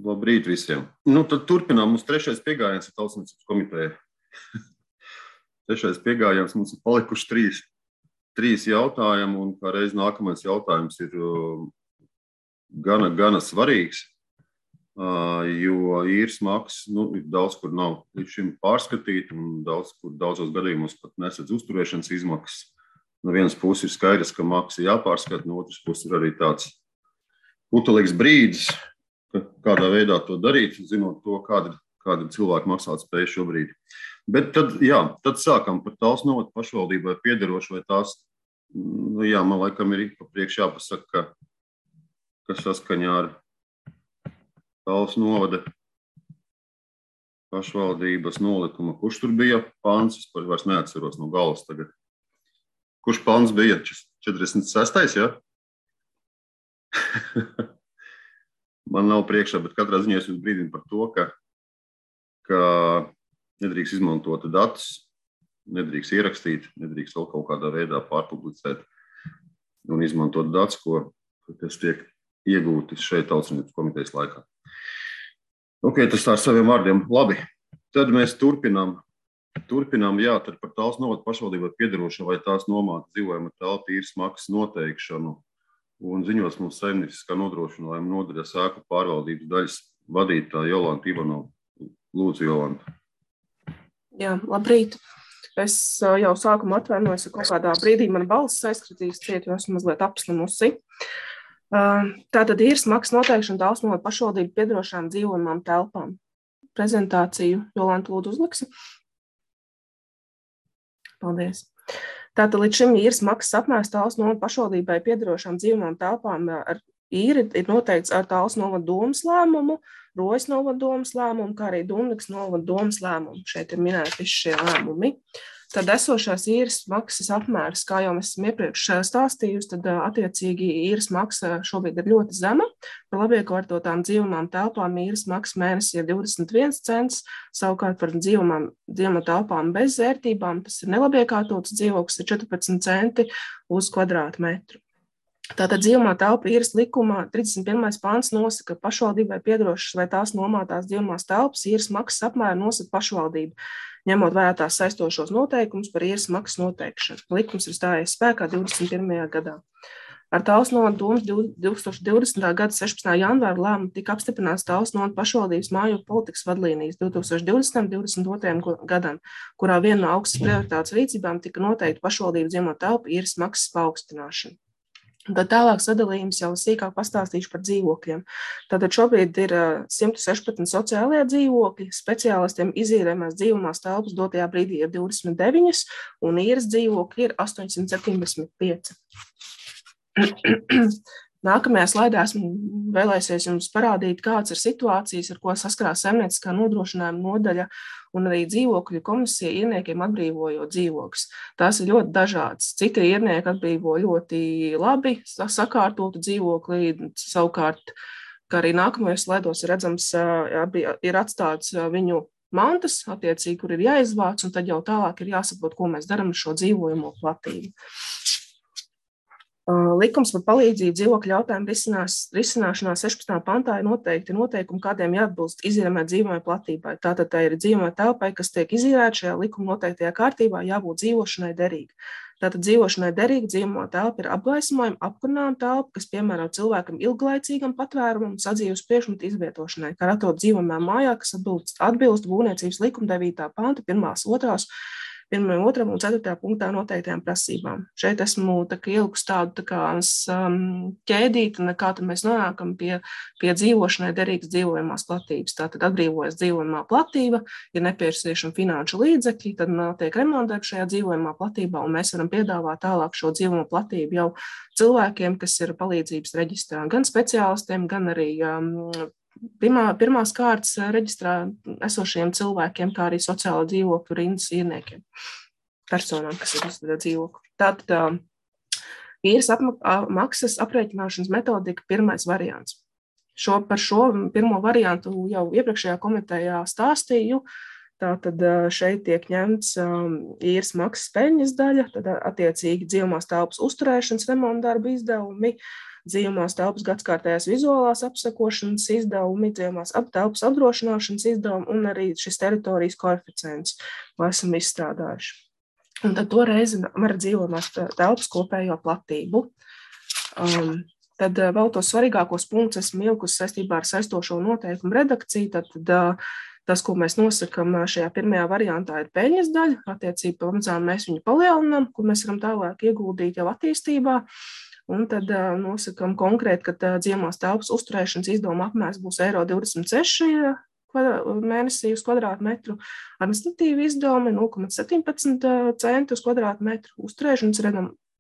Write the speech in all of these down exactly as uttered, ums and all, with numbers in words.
Labrīt visiem. Nu, tad turpinām. Mums trešais piegājiens ir Tautsniecības komiteja. Trešais piegājiens mums ir palikuši trīs, trīs jautājumi, un kā reiz nākamais jautājums ir gana, gana svarīgs, jo īres maksas, nu, daudz kur nav līdz šim pārskatīta, un daudz kur daudzos gadījumos pat nesedz uzturēšanas izmaksas. No vienas puses ir skaidrs, ka maksa jāpārskata, no otras puses ir arī tāds putelīgs brīdis, kādā veidā to darīt, zinot to, kāda, kāda cilvēku maksāt spēja šobrīd. Bet tad, jā, tad sākam par Talsu novada pašvaldībai piederošu, vai tās, nu jā, man laikam ir pa priekš jāpasaka, ka, ka saskaņā ar Talsu novada pašvaldības nolikuma, kurš tur bija pāns, es par vairs neatceros no galvas tagad. Kurš pāns bija? četrdesmit sestais, jā? Man nav priekšā, bet katrā ziņā es jūs brīdinu par to, ka, ka nedrīkst izmantot datus, nedrīkst ierakstīt, nedrīkst vēl kaut kādā veidā pārpublicēt un izmantot datus, ko, kas tiek iegūti šeit Tautsniecības komitejas laikā. Ok, tas tā ar saviem vārdiem. Labi, tad mēs turpinām. Turpinām, jā, tad par Talsu novada pašvaldībai piederošo vai tās nomāta dzīvojama telpa īres maksas noteikšanu. Un ziņos mums saimnieciskā nodrošinājuma nodaļas ēku pārvaldības daļas vadītāja Jolanta Ivanova. Lūdzu, Jolanta. Jā, labrīt. Es jau sākumā atvainojos, ka kaut kādā brīdī man balss aizskritīs ciet, jo esmu mazliet apslimusi. Tātad īres maksas noteikšana Talsu novada pašvaldību piederošām dzīvojamām telpām. Prezentāciju Jolanta lūdzu uzliksi. Paldies. Tātad līdz šim īres maksas apmērs Talsu novada pašvaldībai piederošām dzīvojamām telpām ar īri ir noteikts ar Talsu novada domes lēmumu, Rojas novada domes lēmumu, kā arī Dundas novada domes lēmumu. Šeit ir minēti visi šie lēmumi. Tad esošās īres maksas apmērs, kā jau mēs esam iepriekš stāstījusi, tad attiecīgi īres maksa šobrīd ir ļoti zema. Par labiekārtotām dzīvojamām telpām īres maksa mēnesī ir divdesmit viens cents, savukārt par dzīvojamām telpām bez vērtībām, tas ir nelabiekārtots dzīvoklis, ir četrpadsmit centi uz kvadrātmetru. Tātad dzīvojamā telpa īres likumā trīsdesmit pirmais pāns nosaka, ka pašvaldībai piederošas vai tās nomātās dzīvojamās telpas īres maksas apmēru nosaka pašvaldība, ņemot vērā tās saistošos noteikumus par īres maksas noteikšanu. Likums ir stājies spēkā divdesmit pirmajā gadā. Ar Talsu novada domes divtūkstoš divdesmitā gada sešpadsmitā janvāra lēmumu tika apstiprināts Talsu novada pašvaldības mājokļu politikas vadlīnijas divtūkstoš divdesmitam līdz divdesmit otrajam gadam, kurā viena no augstas prioritātes rīcībām tika noteikta pašvaldību dzīvojamo telpu īres maksas paaugstināšana. Tad tālāk sadalījums jau sīkāk pastāstīšu par dzīvokļiem. Tātad šobrīd ir simt sešpadsmit sociālie dzīvokļi, speciālistiem izīrējumās dzīvojamās telpas dotajā brīdī ir divdesmit deviņi un īres dzīvokļi ir astoņsimt septiņdesmit pieci. Nākamajā slaidā esmu vēlēsies jums parādīt, kāds ir situācijas, ar ko saskarās saimnieciskā nodrošinājuma nodaļa un arī dzīvokļu komisija īrniekiem atbrīvojot dzīvokļus. Tās ir ļoti dažādas. Citi īrnieki atbrīvo ļoti labi sakārtotu dzīvokli, savukārt, kā arī nākamajos slaidos ir redzams, ir atstāts viņu mantas, attiecīgi, kur ir jāizvāc, un tad jau tālāk ir jāsaprot, ko mēs darām ar šo dzīvojamo platību. Likums par palīdzību dzīvokļu jautājumu risinās, risināšanā sešpadsmitajā pantā ir noteikti noteikumi, kādiem jāatbilst izīrējumai dzīvojamai platībai. Tātad tā ir dzīvojamai telpai, kas tiek izīrēta šajā likuma noteiktajā kārtībā, jābūt dzīvošanai derīga. Tātad dzīvošanai derīga dzīvojamā telpa ir apgaismojuma, apkurinājuma telpa, kas piemēro cilvēkam ilglaicīgam patvērumam, sadzīves priekšmetu izvietošanai, kā atrod dzīvojamā mājā, kas atbilst, atbilst būvniecības likuma devītā panta, pirmās, otrās, pirmajam, otram un ceturtajā punktā noteiktajām prasībām. Šeit esmu tā kā ielikusi tādu tā kā um, ķēdīti, kā tad mēs nonākam pie, pie dzīvošanai derīgas dzīvojamās platības. Tātad atbrīvojas dzīvojamā platība, ir nepieciešami finanšu līdzekļi, tad tiek remontēta šajā dzīvojamā platībā, un mēs varam piedāvāt tālāk šo dzīvojamo platību jau cilvēkiem, kas ir palīdzības reģistrā, gan speciālistiem, gan arī um, Pirmā, pirmās kārtas reģistrā esošiem cilvēkiem, kā arī sociāla dzīvokļu rindas īrniekiem, personām, kas ir izstrādā dzīvokļu. Tātad īres maksas aprēķināšanas metodika pirmais variants. Šo, par šo pirmo variantu jau iepriekšējā komitejā stāstīju. Tātad šeit tiek ņemts īres maksas peļņas daļa, tad attiecīgi dzīvojamās telpas uzturēšanas remonta darbu izdevumi, dzīvumās telpas gadskārtējās vizuālās apsakošanas izdevumi, dzīvumās ap telpas apdrošināšanas izdevumi un arī šis teritorijas koeficients, ko esam izstrādājuši. Un tad to reizi var dzīvumās telpas kopējo platību. Um, tad vēl tos svarīgākos punktus esmu ielikusi saistībā ar saistošo noteikumu redakciju, tad, tad tas, ko mēs nosakam šajā pirmajā variantā, ir peļņas daļa. Attiecīgi, pamazām mēs viņu palielinām, ko mēs varam tālāk ieguldīt jau attīstībā. Un tad uh, nosakam konkrēti, ka dzīvumās telpas uzturēšanas izdevuma apmērs būs eiro divdesmit seši mēnesī uz kvadrātmetru, administratīvi izdevumi nulle komats septiņpadsmit centi uz kvadrātmetru, uzturēšanas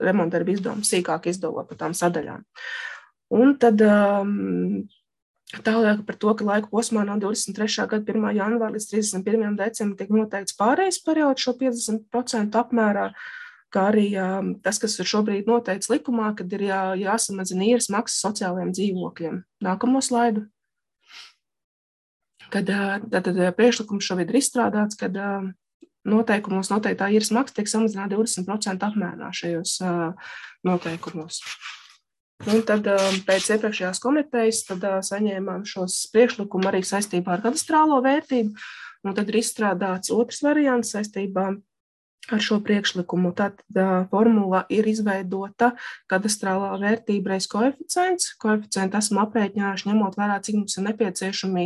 remonta darba izdevumi sīkāk izdevot par tām sadaļām. Un tad um, tālāk par to, ka laika posmā no divdesmit trešā gada pirmā janvāra līdz trīsdesmit pirmajam decembrim tiek noteikts pārējais periods šo piecdesmit procentu apmērā, kā arī tas, kas ir šobrīd noteikts likumā, kad ir jā, jāsamazina īres maksas sociālajiem dzīvokļiem. Nākamo slaidu. Kad tad priekšlikums šobrīd ir izstrādāts, kad noteikumos noteiktā īres maksa tiek samazināta divdesmit procentu apmērā šajos noteikumos. Un tad pēc iepriekšējās komitejas tad saņēmām šos priekšlikumu arī saistībā ar kadastrālo vērtību, un tad ir izstrādāts otrs variants saistībā ar šo priekšlikumu. Tātad formula ir izveidota kadastrālā vērtība reiz koeficients. Koeficientu esmu aprēķinājuši, ņemot vērā, cik mums ir nepieciešami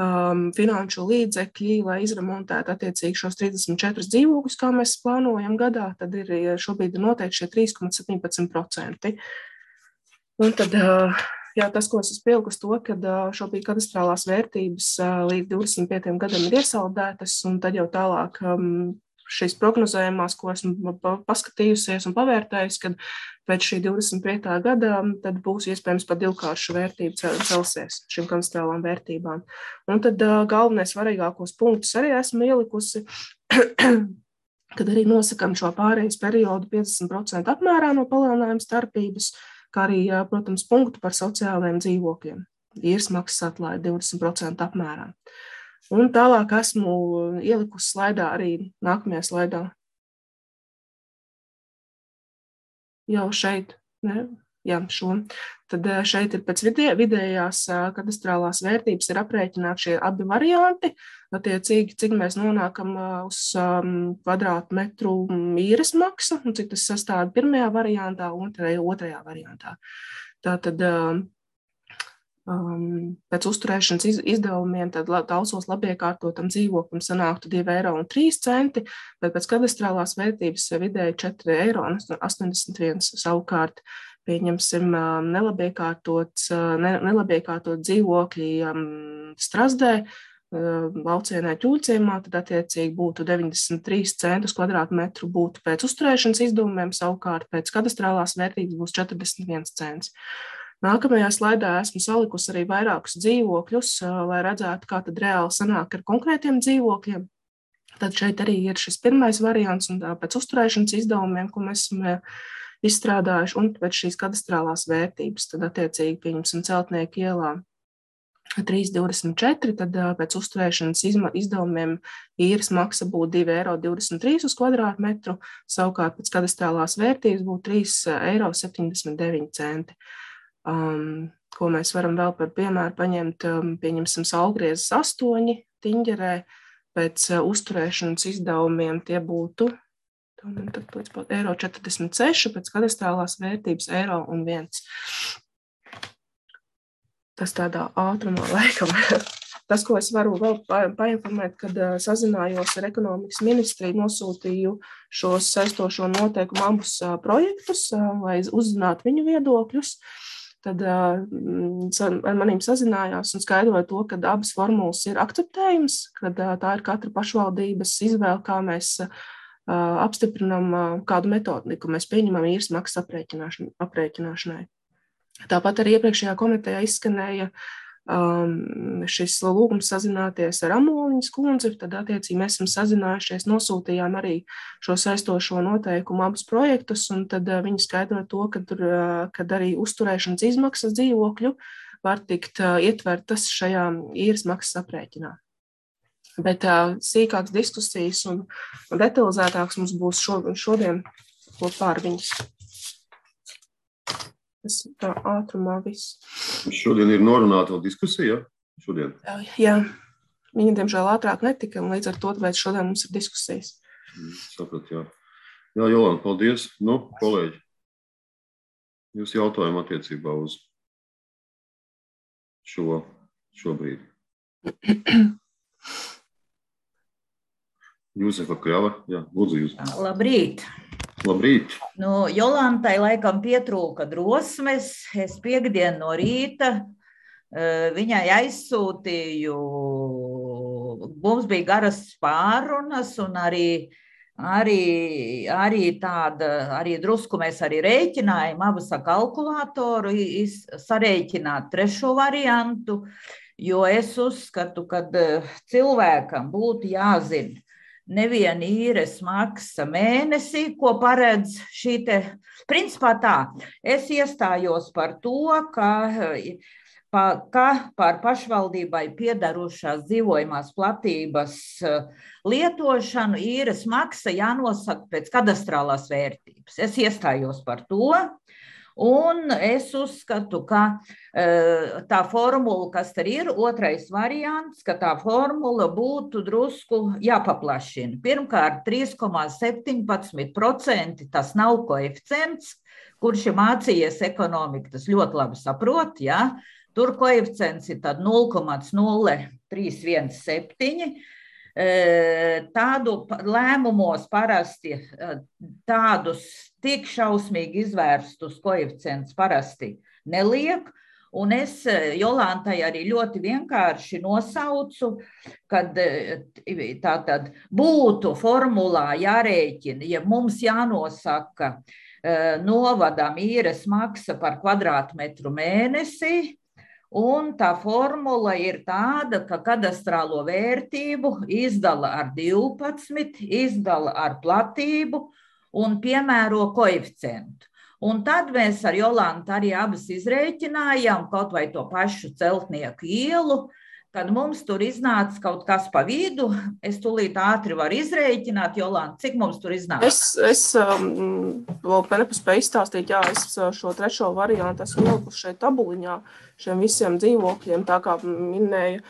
um, finanšu līdzekļi, lai izremontētu attiecīgi šos trīsdesmit četrus dzīvokļus, kā mēs plānojam gadā. Tad ir šobrīd ir noteikti šie trīs komats septiņpadsmit procenti. Un tad, jā, tas, ko es esmu pielikusi to, ka šobrīd kadastrālās vērtības līdz divdesmit pieciem gadam ir iesaldētas, un tad jau tālāk šīs prognozējumās, ko esmu paskatījusies un pavērtējusi, kad pēc šī divdesmit piecā gada tad būs iespējams pat divkāršu vērtību celsies šīm kadastrālām vērtībām. Un tad galvenais svarīgākos punktus arī esmu ielikusi, kad arī nosakam šo pārejas periodu piecdesmit procentu apmērā no palielinājuma starpības, kā arī, protams, punktu par sociālajiem dzīvokļiem. Īres maksas atlaide divdesmit procentu apmērā. Un tālāk esmu ielikusi slaidā arī nākamajā slaidā. Jau šeit, ne? Jā, šo. Tad šeit ir pēc vidē, vidējās kadastrālās vērtības ir aprēķināti šie abi varianti. Attiecīgi, cik mēs nonākam uz um, kvadrātmetru īres maksa, un cik tas sastāv pirmajā variantā un otrajā variantā. Tātad um, pēc uzturēšanas iz, izdevumiem tad Talsos labiekārtotam dzīvoklim sanāktu divi eiro un trīs centi, bet pēc kadastrālās vērtības vidēji četri eiro un astoņdesmit viens savukārt. Pieņemsim nelabiekārtot, nelabiekārtot dzīvokļi Strazdē, Laucienē Ķūļciemā, tad attiecīgi būtu deviņdesmit trīs centus kvadrātmetru būtu pēc uzturēšanas izdevumiem, savukārt pēc kadastrālās vērtības būs četrdesmit viens cents. Nākamajā slaidā esmu salikusi arī vairākus dzīvokļus, lai redzētu, kā tad reāli sanāk ar konkrētiem dzīvokļiem. Tad šeit arī ir šis pirmais variants un pēc uzturēšanas izdevumiem, ko mēs esam izstrādājuši, un pēc šīs kadastrālās vērtības, tad attiecīgi pieņemsim Celtnieku ielā trīs divdesmit četri, tad pēc uzturēšanas izdevumiem īres maksa būtu divi eiro divdesmit trīs uz kvadrātmetru, savukārt pēc kadastrālās vērtības būtu trīs eiro septiņdesmit deviņi centi. Um, ko mēs varam vēl par piemēru paņemt, um, pieņemsim Saulgriezes astoņi Tiņģerē, pēc uh, uzturēšanas izdevumiem tie būtu eiro četrdesmit seši, pēc kadastrālās vērtības eiro un viens. Tas tādā ātrumā laikam. Tas, ko es varu vēl painformēt, kad sazinājos ar ekonomikas ministriju, nosūtīju šos saistošo noteikumu abus projektus, lai uzzinātu viņu viedokļus. Tad ar manīm sazinājās un skaidroja to, ka abas formulas ir akceptējums, kad tā ir katra pašvaldības izvēle, kā mēs apstiprinām kādu metodiku, mēs pieņemam īres maksas aprēķināšanai. Tāpat arī iepriekšējā komitejā izskanēja um, šis lūgums sazināties ar Amoliņas kundzi, tad attiecīgi mēs esam sazinājušies, nosūtījām arī šo saistošo noteikumu abus projektus, un tad uh, viņi skaidroja to, ka tur, uh, kad arī uzturēšanas izmaksas dzīvokļu var tikt uh, ietvertas šajā īres maksas aprēķinā. Bet uh, sīkāks diskusijas un, un detalizētāks mums būs šo, šodien kopā ar viņas. Tas tā ātrumā viss. Šodien ir norunāta vēl diskusija, šodien? Jā, viņa, diemžēl, ātrāk netika, un līdz ar to, tāpēc šodien mums ir diskusijas. Saprat, jā. Jā, Jolanta, paldies. Nu, kolēģi, jūs jautājumu attiecībā uz šo, šobrīd. Jūzefa Kļava, jā, lūdzu jūs. Labrīt. Labrīt. Nu, Jolantai laikam pietrūka drosmes. Es piekdien no rīta viņai aizsūtīju, mums bija garas pārunas un arī, arī, arī tāda, arī drusku mēs arī rēķinājām abas ar kalkulātoru, sarēķināt trešo variantu, jo es uzskatu, ka cilvēkam būtu jāzina nevien īres maksa mēnesī, ko paredz šī te, principā tā, es iestājos par to, ka, pa, ka par pašvaldībai piedarošās dzīvojamās platības lietošanu īres maksa jānosaka pēc kadastrālās vērtības. Es iestājos par to. Un es uzskatu, ka tā formula, kas tur ir, otrais variants, ka tā formula būtu drusku jāpaplašina. Pirmkārt, trīs komā septiņpadsmit procenti tas nav koeficients, kurš ir mācījies ekonomiku, tas ļoti labi saprot, ja? Tur koeficients ir tad nulle komā nulle trīs viens septiņi. Tādu lēmumos parasti tādus tik šausmīgi izvērstus koeficients parasti neliek, un es Jolantai arī ļoti vienkārši nosaucu, kad tātad būtu formulā jārēķina, ja mums jānosaka novadam īres maksa par kvadrātmetru mēnesī, un tā formula ir tāda, ka kadastrālo vērtību izdala ar divpadsmit, izdala ar platību un piemēro koeficientu. Un tad mēs ar Jolantu arī abas izrēķinājām kaut vai to pašu Celtnieku ielu, kad mums tur iznāca kaut kas pa vidu. Es tūlīt ātri varu izrēķināt, Jolanta, cik mums tur iznāca? Es, es um, vēl nepaspēju izstāstīt, jā, es šo trešo variantu esmu ielikusi šeit tabuliņā, šiem visiem dzīvokļiem, tā kā minēja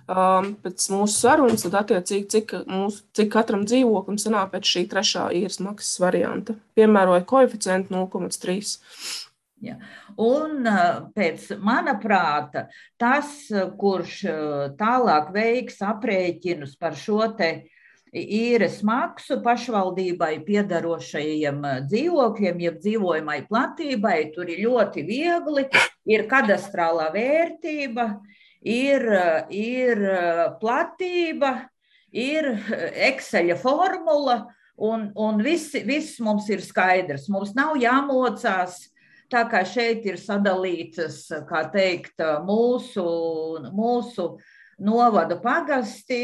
um, pēc mūsu sarunas, tad attiecīgi, cik, mūsu, cik katram dzīvoklim sanāk pēc šī trešā īres maksas varianta. Piemēroja koeficientu nulle komā trīs. Ja. Un pēc mana prāta tas, kurš tālāk veiks aprēķinus par šo te īres maksu pašvaldībai piedarošajiem dzīvokļiem, jeb dzīvojamai platībai, tur ir ļoti viegli, ir kadastrālā vērtība, ir, ir platība, ir Exceļa formula, un, un viss, viss mums ir skaidrs. Mums nav jāmocās. Tā kā šeit ir sadalītas, kā teikt, mūsu, mūsu novada pagasti,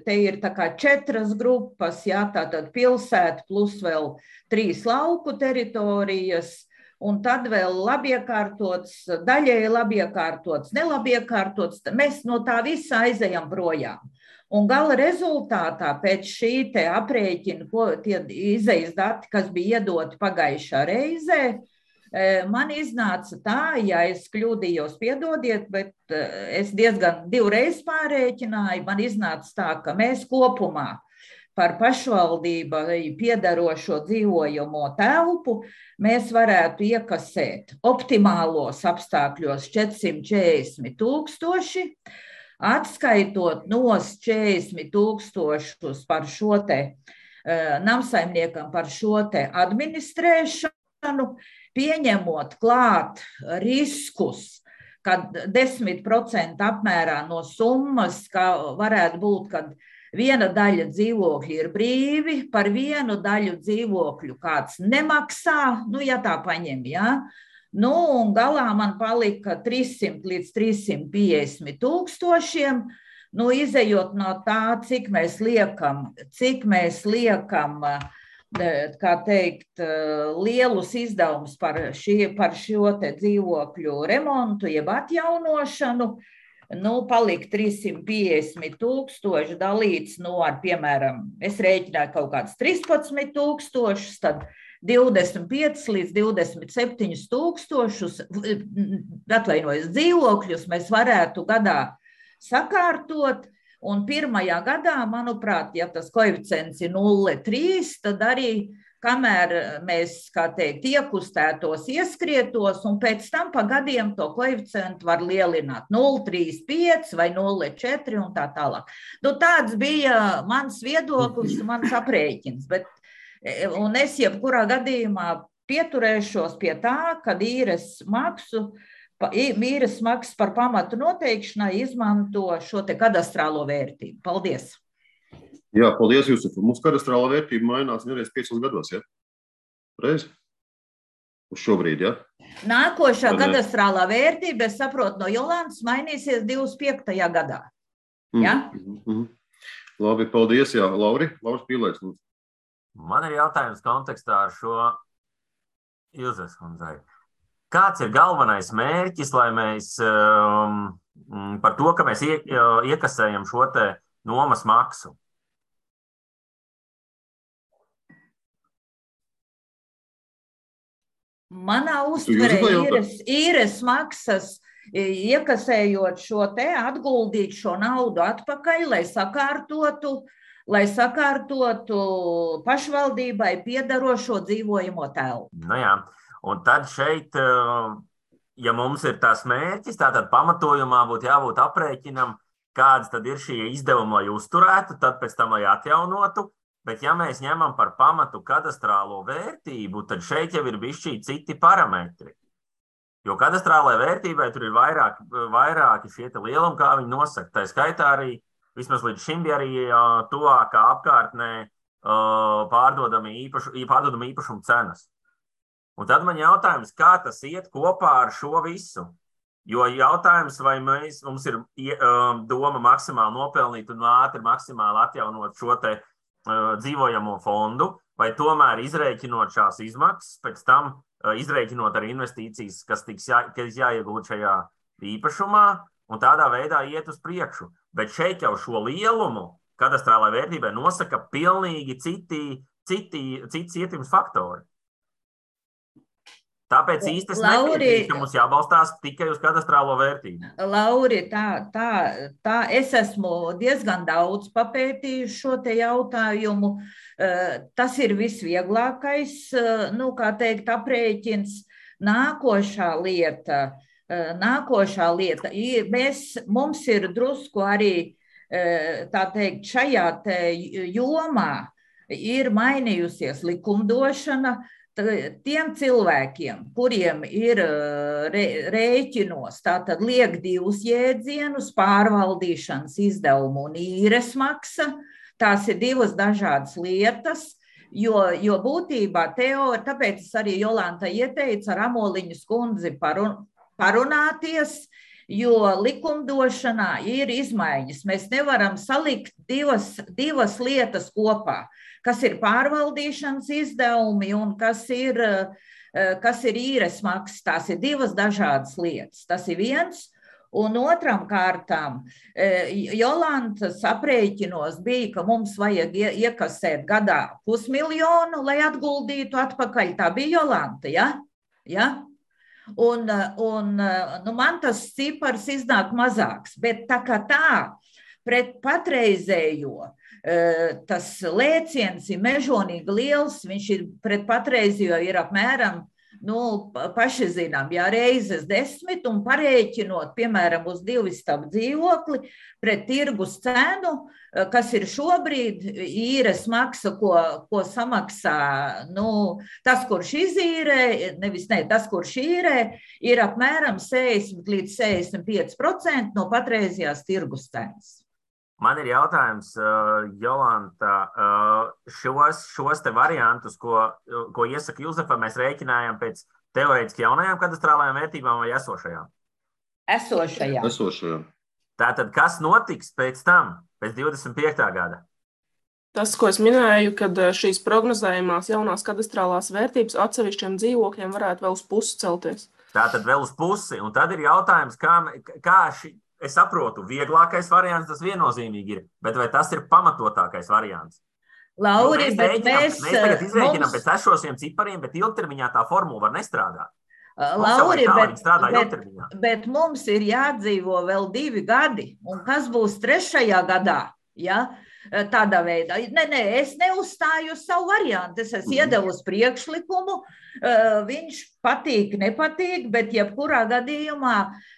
te ir tā kā četras grupas, jā, tātad pilsēta plus vēl trīs lauku teritorijas, un tad vēl labiekārtots, daļēji labiekārtots, nelabiekārtots, mēs no tā visa aizejam projām. Un gala rezultātā pēc šī te aprēķina, ko tie izejas dati, kas bija iedoti pagājušā reizē, man iznāca tā, ja es kļūdījos, piedodiet, bet es diezgan divreiz pārēķināju, man iznāca tā, ka mēs kopumā par pašvaldībai piedarošo dzīvojamo telpu mēs varētu iekasēt optimālos apstākļos četrsimt četrdesmit tūkstoši, atskaitot nos četrdesmit tūkstošus par šo te namsaimniekam par šo te administrēšanu, pieņemot klāt riskus, kad desmit procenti apmērā no summas, ka varētu būt, kad viena daļa dzīvokļu ir brīvi, par vienu daļu dzīvokļu kāds nemaksā, nu, ja tā paņem, jā. Nu, un galā man palika trīssimt līdz trīssimt piecdesmit tūkstošiem, nu, izejot no tā, cik mēs liekam, cik mēs liekam, kā teikt, lielus izdevumus par, šie, par šo te dzīvokļu remontu, jeb atjaunošanu, nu, palika trīssimt piecdesmit tūkstoši dalīts, nu, ar, piemēram, es rēķināju kaut kāds trīspadsmit tūkstošus, tad divdesmit piecus līdz divdesmit septiņus tūkstošus, atvainojos, dzīvokļus mēs varētu gadā sakārtot, un pirmajā gadā, manuprāt, ja tas koeficients ir nulle komats trīs, tad arī, kamēr mēs, kā teikt, iekustētos, ieskrietos, un pēc tam pa gadiem to koeficientu var lielināt nulle komats trīsdesmit pieci vai nulle komats četri un tā tālāk. Nu, tāds bija mans viedoklis, mans aprēķins, bet, un es jebkurā gadījumā pieturēšos pie tā, kad īres maksu Īres maksas par pamatu noteikšanai izmanto šo te kadastrālo vērtību. Paldies! Jā, paldies, Jusuf. Mums kadastrāla vērtība mainās nereiz piecos gados, ja? Reiz? Uz šobrīd, ja? Nākošā kadastrālā vērtība, es saprotu, no Jolantas mainīsies divdesmit piektajā gadā. Ja? Mm -hmm. Labi, paldies, jā. Lauri, Lauris Pīlēks. Man ir jautājums kontekstā ar šo Ilzes kundzei. Kāds ir galvenais mērķis, lai mēs um, par to, ka mēs ie, iekasējam šo te nomas maksu? Manā uztverē īres, īres maksas, iekasējot šo te, atguldīt šo naudu atpakaļ, lai sakārtotu, lai sakārtotu pašvaldībai piedarošo dzīvojamo telpu. Nu jā. Un tad šeit, ja mums ir tās mērķis, tātad pamatojumā būtu jābūt aprēķinam, kādas tad ir šie izdevumi, lai uzturētu, tad pēc tam, lai atjaunotu. Bet ja mēs ņemam par pamatu kadastrālo vērtību, tad šeit jau ir bišķī citi parametri. Jo kadastrālai vērtībai tur ir vairāk, vairāki šie te lielumi, kā viņi nosaka. Tā skaitā arī, vismaz līdz šim bija arī tuvākā apkārtnē pārdodami īpašu, pārdodami īpašumu cenas. Un tad man jautājums, kā tas iet kopā ar šo visu? Jo jautājums, vai mēs, mums ir um, doma maksimāli nopelnīt un ātri maksimāli atjaunot šo te uh, dzīvojamo fondu, vai tomēr izrēķinot šās izmaksas, pēc tam uh, izrēķinot arī investīcijas, kas tiks jā, kas jāiegūt šajā īpašumā, un tādā veidā iet uz priekšu. Bet šeit jau šo lielumu kadastrālai vērtībai nosaka pilnīgi citi, citi, cits ietekmes faktori. Tāpēc īsti es nepiekrītu, ka mums jābalstās tikai uz kadastrālo vērtību. Lauri, tā, tā, tā es esmu diezgan daudz papētījis šo te jautājumu. Tas ir visvieglākais, nu, kā teikt, aprēķins. Nākošā lieta, nākošā lieta, mēs, mums ir drusku arī, tā teikt, šajā te jomā ir mainījusies likumdošana. Tiem cilvēkiem, kuriem ir rēķinos, tātad liek divus jēdzienus, pārvaldīšanas izdevumu un īres maksa, tās ir divas dažādas lietas, jo, jo būtībā teorija, tāpēc es arī Jolantai ieteicu ar Amoliņas kundzi parun, parunāties, jo likumdošanā ir izmaiņas. Mēs nevaram salikt divas, divas lietas kopā, kas ir pārvaldīšanas izdevumi un kas ir, kas ir īres maksas. Tās ir divas dažādas lietas. Tas ir viens. Un otram kārtām, Jolantas aprēķinos bija, ka mums vajag iekasēt gadā pusmiljonu, lai atguldītu atpakaļ. Tā bija Jolanta, ja? Ja? Un, un nu, man tas cipars iznāk mazāks, bet tā kā tā pret patreizējo tas lēciens ir mežonīgi liels, viņš ir pret patreizējo ir apmēram, nu, paši zinām, jā, reizes desmit un parēķinot, piemēram, uz divu istabu dzīvokli pret tirgus cenu, kas ir šobrīd īres maksa, ko, ko samaksā, nu, tas, kurš izīrē, nevis ne, tas, kurš īrē, ir apmēram sešdesmit līdz sešdesmit pieci procenti no patreizajās tirgus cenas. Man ir jautājums, Jolanta, šos, šos te variantus, ko, ko iesaka Ilzefa, mēs rēķinājām pēc teorētiski jaunajām kadastrālajām vērtībām vai esošajām? Esošajām. Esošajām. Tātad, kas notiks pēc tam, pēc divdesmit piektā gada? Tas, ko es minēju, kad šīs prognozējumās jaunās kadastrālās vērtības atsevišķiem dzīvokļiem varētu vēl uz pusi celties. Tātad vēl uz pusi, un tad ir jautājums, kā, kā šī... Es saprotu, vieglākais variants tas viennozīmīgi ir, bet vai tas ir pamatotākais variants? Lauri, mēs, bet rēķinām, mēs, mēs tagad izrēķinām mums... pēc esošiem cipariem, bet ilgtermiņā tā formula var nestrādāt. Lauri, bet, bet, ilgtermiņā. bet mums ir jādzīvo vēl divi gadi, un kas būs trešajā gadā, ja? Tādā veidā. Nē, nē, es neuzstāju savu variantu, es esmu iedevusi priekšlikumu, viņš patīk, nepatīk, bet jebkurā gadījumā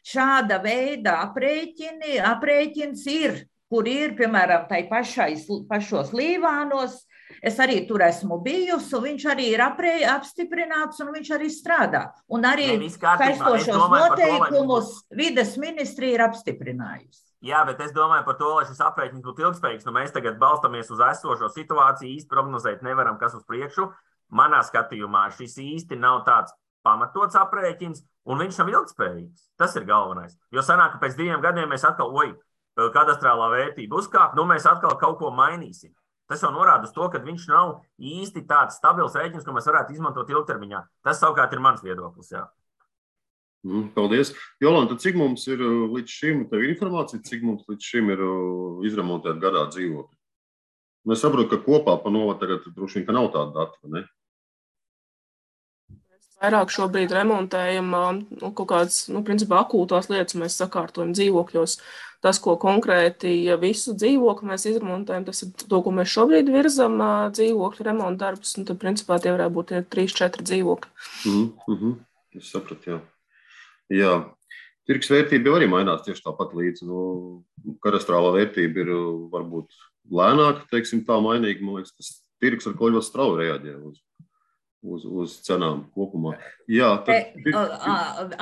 šāda veida aprēķini, aprēķins ir, kur ir, piemēram, tai pašais, pašos Līvānos. Es arī tur esmu bijusi, un viņš arī ir aprē, apstiprināts, un viņš arī strādā. Un arī saistošos noteikumus vides ministrija ir apstiprinājusi. Jā, bet es domāju par to, lai šis aprēķins būtu ilgspējīgs. Nu, mēs tagad balstamies uz esošo situāciju, īsti prognozēt nevaram, kas uz priekšu. Manā skatījumā šis īsti nav tāds pamatots aprēķins, un viņš nav ilgspējīgs. Tas ir galvenais. Jo sanāk, ka pēc diviem gadiem mēs atkal, oj, kadastrālā vērtība uzkāp, nu mēs atkal kaut ko mainīsim. Tas jau norāda uz to, ka viņš nav īsti tāds stabils rēķins, ko mēs varētu izmantot ilgtermiņā. Tas savukārt ir mans viedoklis, jā. Mm, paldies. Jolanta, cik mums ir līdz šim, tev informācija, cik mums līdz šim ir izremontēt gadā dzīvokļi? Mēs saprotu, ka kopā pa novadu tagad droši vien, ka nav tāda data, ne? Vairāk šobrīd remontējam nu, kaut kādas, nu, principā akūtās lietas mēs sakārtojam dzīvokļos. Tas, ko konkrēti ja visu dzīvokli mēs izremontējam, tas ir to, ko mēs šobrīd virzam dzīvokļu remonta darbus, un tad, principā, tie varētu būt trīs četri dzīvokļi. Mm, mm-hmm. Es sapratu, jā. Jā. Tirgus vērtība jau arī mainās tieši tāpat līdz. Nu, kadastrālā vērtība ir varbūt lēnāka, teiksim, tā mainīga. Man liekas, tas tirgus ar ko ļoti strauji reaģē uz. Uz, uz cenām kopumā. Jā, tad... E,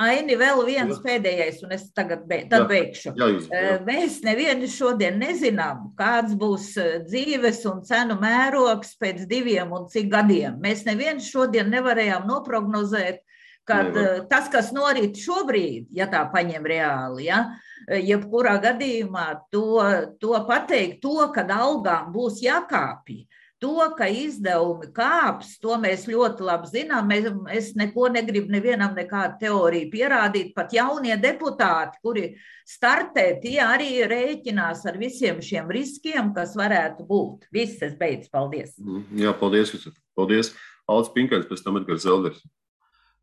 Aini, vēl viens jā. Pēdējais, un es tagad be, tad jā. Beigšu. Jā, jūs, jā. Mēs nevienu šodien nezinām, kāds būs dzīves un cenu mērogs pēc diviem un cik gadiem. Mēs nevienu šodien nevarējām noprognozēt, kad Nevar. Tas, kas norit šobrīd, ja tā paņem reāli, ja, jebkurā gadījumā to, to pateikt, to, kad algām būs jākāpj. To, ka izdevumi kāps, to mēs ļoti labi zinām. Mēs, es neko negribu nevienam nekādu teoriju pierādīt. Pat jaunie deputāti, kuri startē, tie arī rēķinās ar visiem šiem riskiem, kas varētu būt. Viss, es beidzu. Paldies. Jā, paldies. Paldies. Alts Pinkains, pēc tam Edgars Zelders.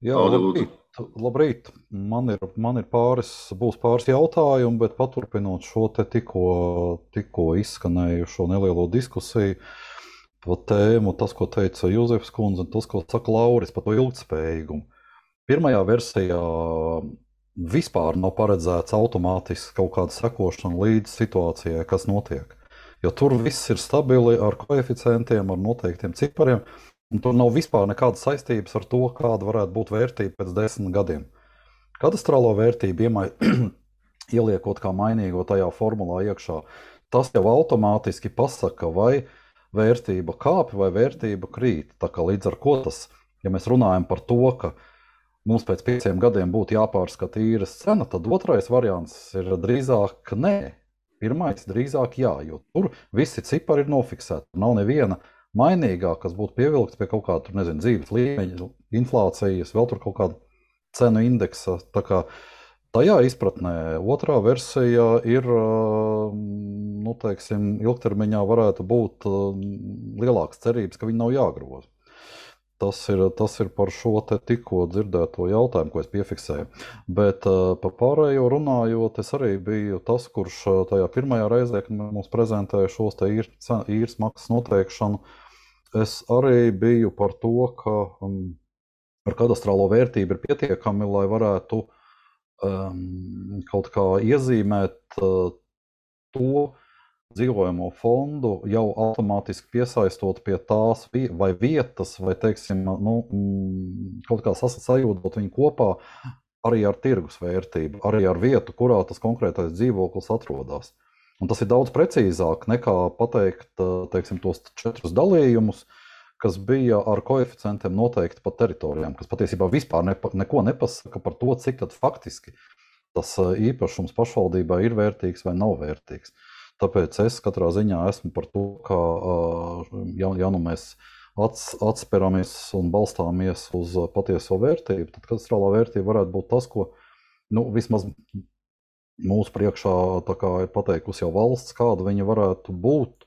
Jā, labrīt. labrīt. Man ir, man ir pāris, būs pāris jautājumi, bet paturpinot šo te tikko, tikko izskanējušo nelielo diskusiju, par tēmu, tas, ko teica Jūzefs kundze, un tas, ko saka Lauris par to ilgtspējīgumu. Pirmajā versijā vispār nav paredzēts automātiski kaut kāda sekošana līdz situācijai, kas notiek. Jo tur viss ir stabili ar koeficientiem, ar noteiktiem cipariem, un tur nav vispār nekādas saistības ar to, kāda varētu būt vērtība pēc desmit gadiem. Kadastrālo vērtību iemai, ieliekot kā mainīgo tajā formulā iekšā, tas jau automātiski pasaka, vai vērtība kāpj vai vērtība krīt. Tā kā līdz ar ko tas, ja mēs runājam par to, ka mums pēc pieciem gadiem būtu jāpārskata īres cena, tad otrais variants ir drīzāk nē. Pirmais drīzāk jā, jo tur visi cipari ir nofiksēti. Nav neviena mainīgā, kas būtu pievilkts pie kaut kāda, tur nezinu, dzīves līmeņa, inflācijas, vēl tur kaut kāda cenu indeksa. Tā kā tajā izpratnē otrā versija ir, nu, teiksim, ilgtermiņā varētu būt lielākas cerības, ka viņi nav jāgroza. Tas ir, tas ir par šo te tikko dzirdēto jautājumu, ko es piefiksēju. Bet par pārējo runājot, es arī biju tas, kurš tajā pirmajā reizē, kad mums prezentēja šos te īres maksas noteikšanu, es arī biju par to, ka ar kadastrālo vērtību ir pietiekami, lai varētu Um, kaut kā iezīmēt uh, to dzīvojamo fondu, jau automātiski piesaistot pie tās vi vai vietas, vai, teiksim, nu, mm, kaut kā sajūdot viņu kopā arī ar tirgus vērtību, arī ar vietu, kurā tas konkrētais dzīvoklis atrodas. Un tas ir daudz precīzāk nekā pateikt, teiksim, tos četrus dalījumus, kas bija ar koeficientiem noteikti pa teritorijām, kas patiesībā vispār nepa, neko nepasaka par to, cik tad faktiski tas īpašums pašvaldībā ir vērtīgs vai nav vērtīgs. Tāpēc es katrā ziņā esmu par to, ka ja, ja nu mēs ats, atsperamies un balstāmies uz patieso vērtību, tad kadastrālā vērtība varētu būt tas, ko nu, vismaz mūsu priekšā tā kā ir pateikusi jau valsts, kāda viņa varētu būt.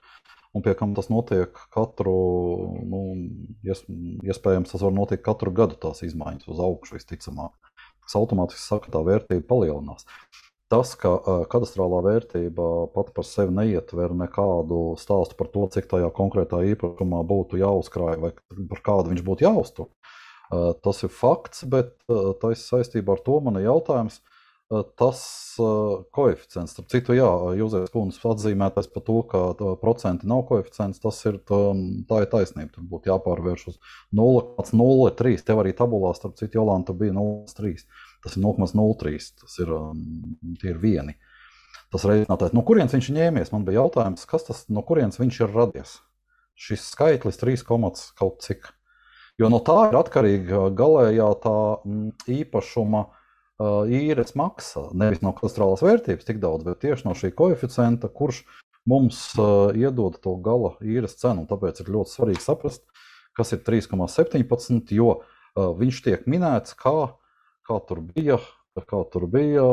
un pie kam tas notiek katru, nu, iespējams, tas var notikt katru gadu tās izmaiņas uz augšu visticamāk. Tas automātiski saka, tā vērtība palielinās. Tas, ka kadastrālā vērtība pat par sevi neietver nekādu stāstu par to, cik tajā konkrētā īpašumā būtu jāuzkrāj vai par kādu viņš būtu jāuztur, tas ir fakts, bet tas saistībā ar to man ir jautājums, tas koeficients. Starp citu, jā, Jūzēs kundzes atzīmētais par to, ka procenti nav koeficients, tas ir, tā ir taisnība. Tur būtu jāpārvērš uz nulle komats nulle trīs. Tev arī tabulā, starp citu, Jolanta bija nulle komats trīs. Tas ir nulle komats nulle trīs. Tas ir, tie ir vieni. Tas reizinātais. No kurienes viņš ņēmies? Man bija jautājums, kas tas, no kurienes viņš ir radies? Šis skaitlis trīs komats kaut cik. Jo no tā ir atkarīga galējā tā īpašuma īres maksa, nevis no kadastrālās vērtības tik daudz, bet tieši no šī koeficienta, kurš mums iedod to gala īres cenu. Un tāpēc ir ļoti svarīgi saprast, kas ir trīs komats septiņpadsmit, jo viņš tiek minēts, kā, kā tur bija, kā tur bija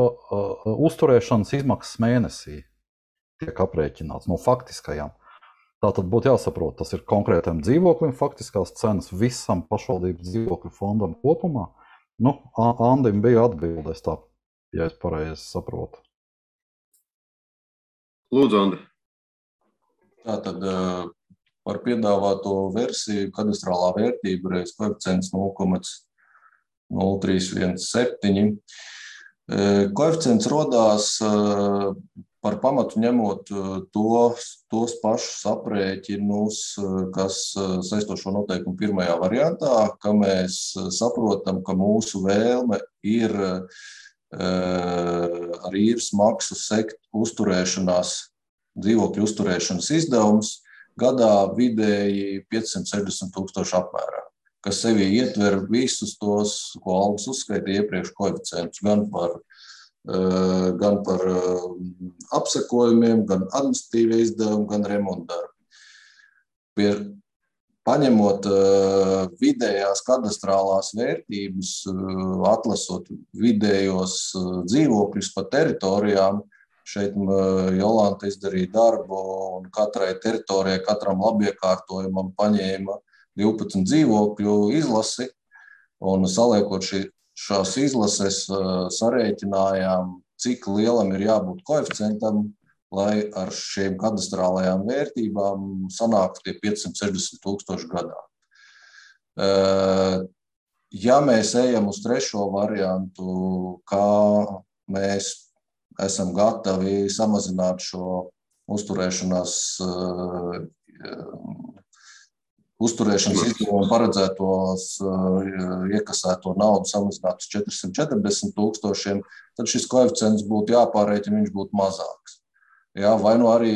uzturēšanas izmaksas mēnesī tiek aprēķināts no faktiskajām. Tātad būtu jāsaprot, tas ir konkrētam dzīvoklim faktiskās cenas visam pašvaldības dzīvokļu fondam kopumā. Nu, Andim bija atbildes tā, ja es pareizi saprotu. Lūdzu, Andi. Tātad par piedāvāto versiju kadastrālā vērtība reiz koeficients nulle komats nulle trīs viens septiņi. Koeficients rodās par pamatu ņemot tos, tos pašus aprēķinus, kas saistošo noteikumu pirmajā variantā, ka mēs saprotam, ka mūsu vēlme ir ar īres maksu sekt uzturēšanās, dzīvokļu uzturēšanas izdevums gadā vidēji piecsimt sešdesmit tūkstoši apmērā, kas sevi ietver visus tos, ko Aldis uzskaitīja iepriekš koeficientus, gan par gan par apsakojumiem, gan administratīvie izdevumi, gan remontdarbi. Paņemot vidējās kadastrālās vērtības, atlasot vidējos dzīvokļus pa teritorijām, šeit Jolanta izdarīja darbu un katrai teritorijai, katram labiekārtojumam paņēma divpadsmit dzīvokļu izlasi un saliekot šī Šās izlases sarēķinājām, cik lielam ir jābūt koeficientam, lai ar šiem kadastrālajām vērtībām sanāktu tie piecsimt sešdesmit tūkstoši gadā. Ja mēs ejam uz trešo variantu, kā mēs esam gatavi samazināt šo uzturēšanās uzturēšanas izdevumu paredzētos iekasēto naudu samazināt uz četrsimt četrdesmit tūkstošiem, tad šis koeficients būtu jāpārēķina, viņš būtu mazāks. Jā, vai nu arī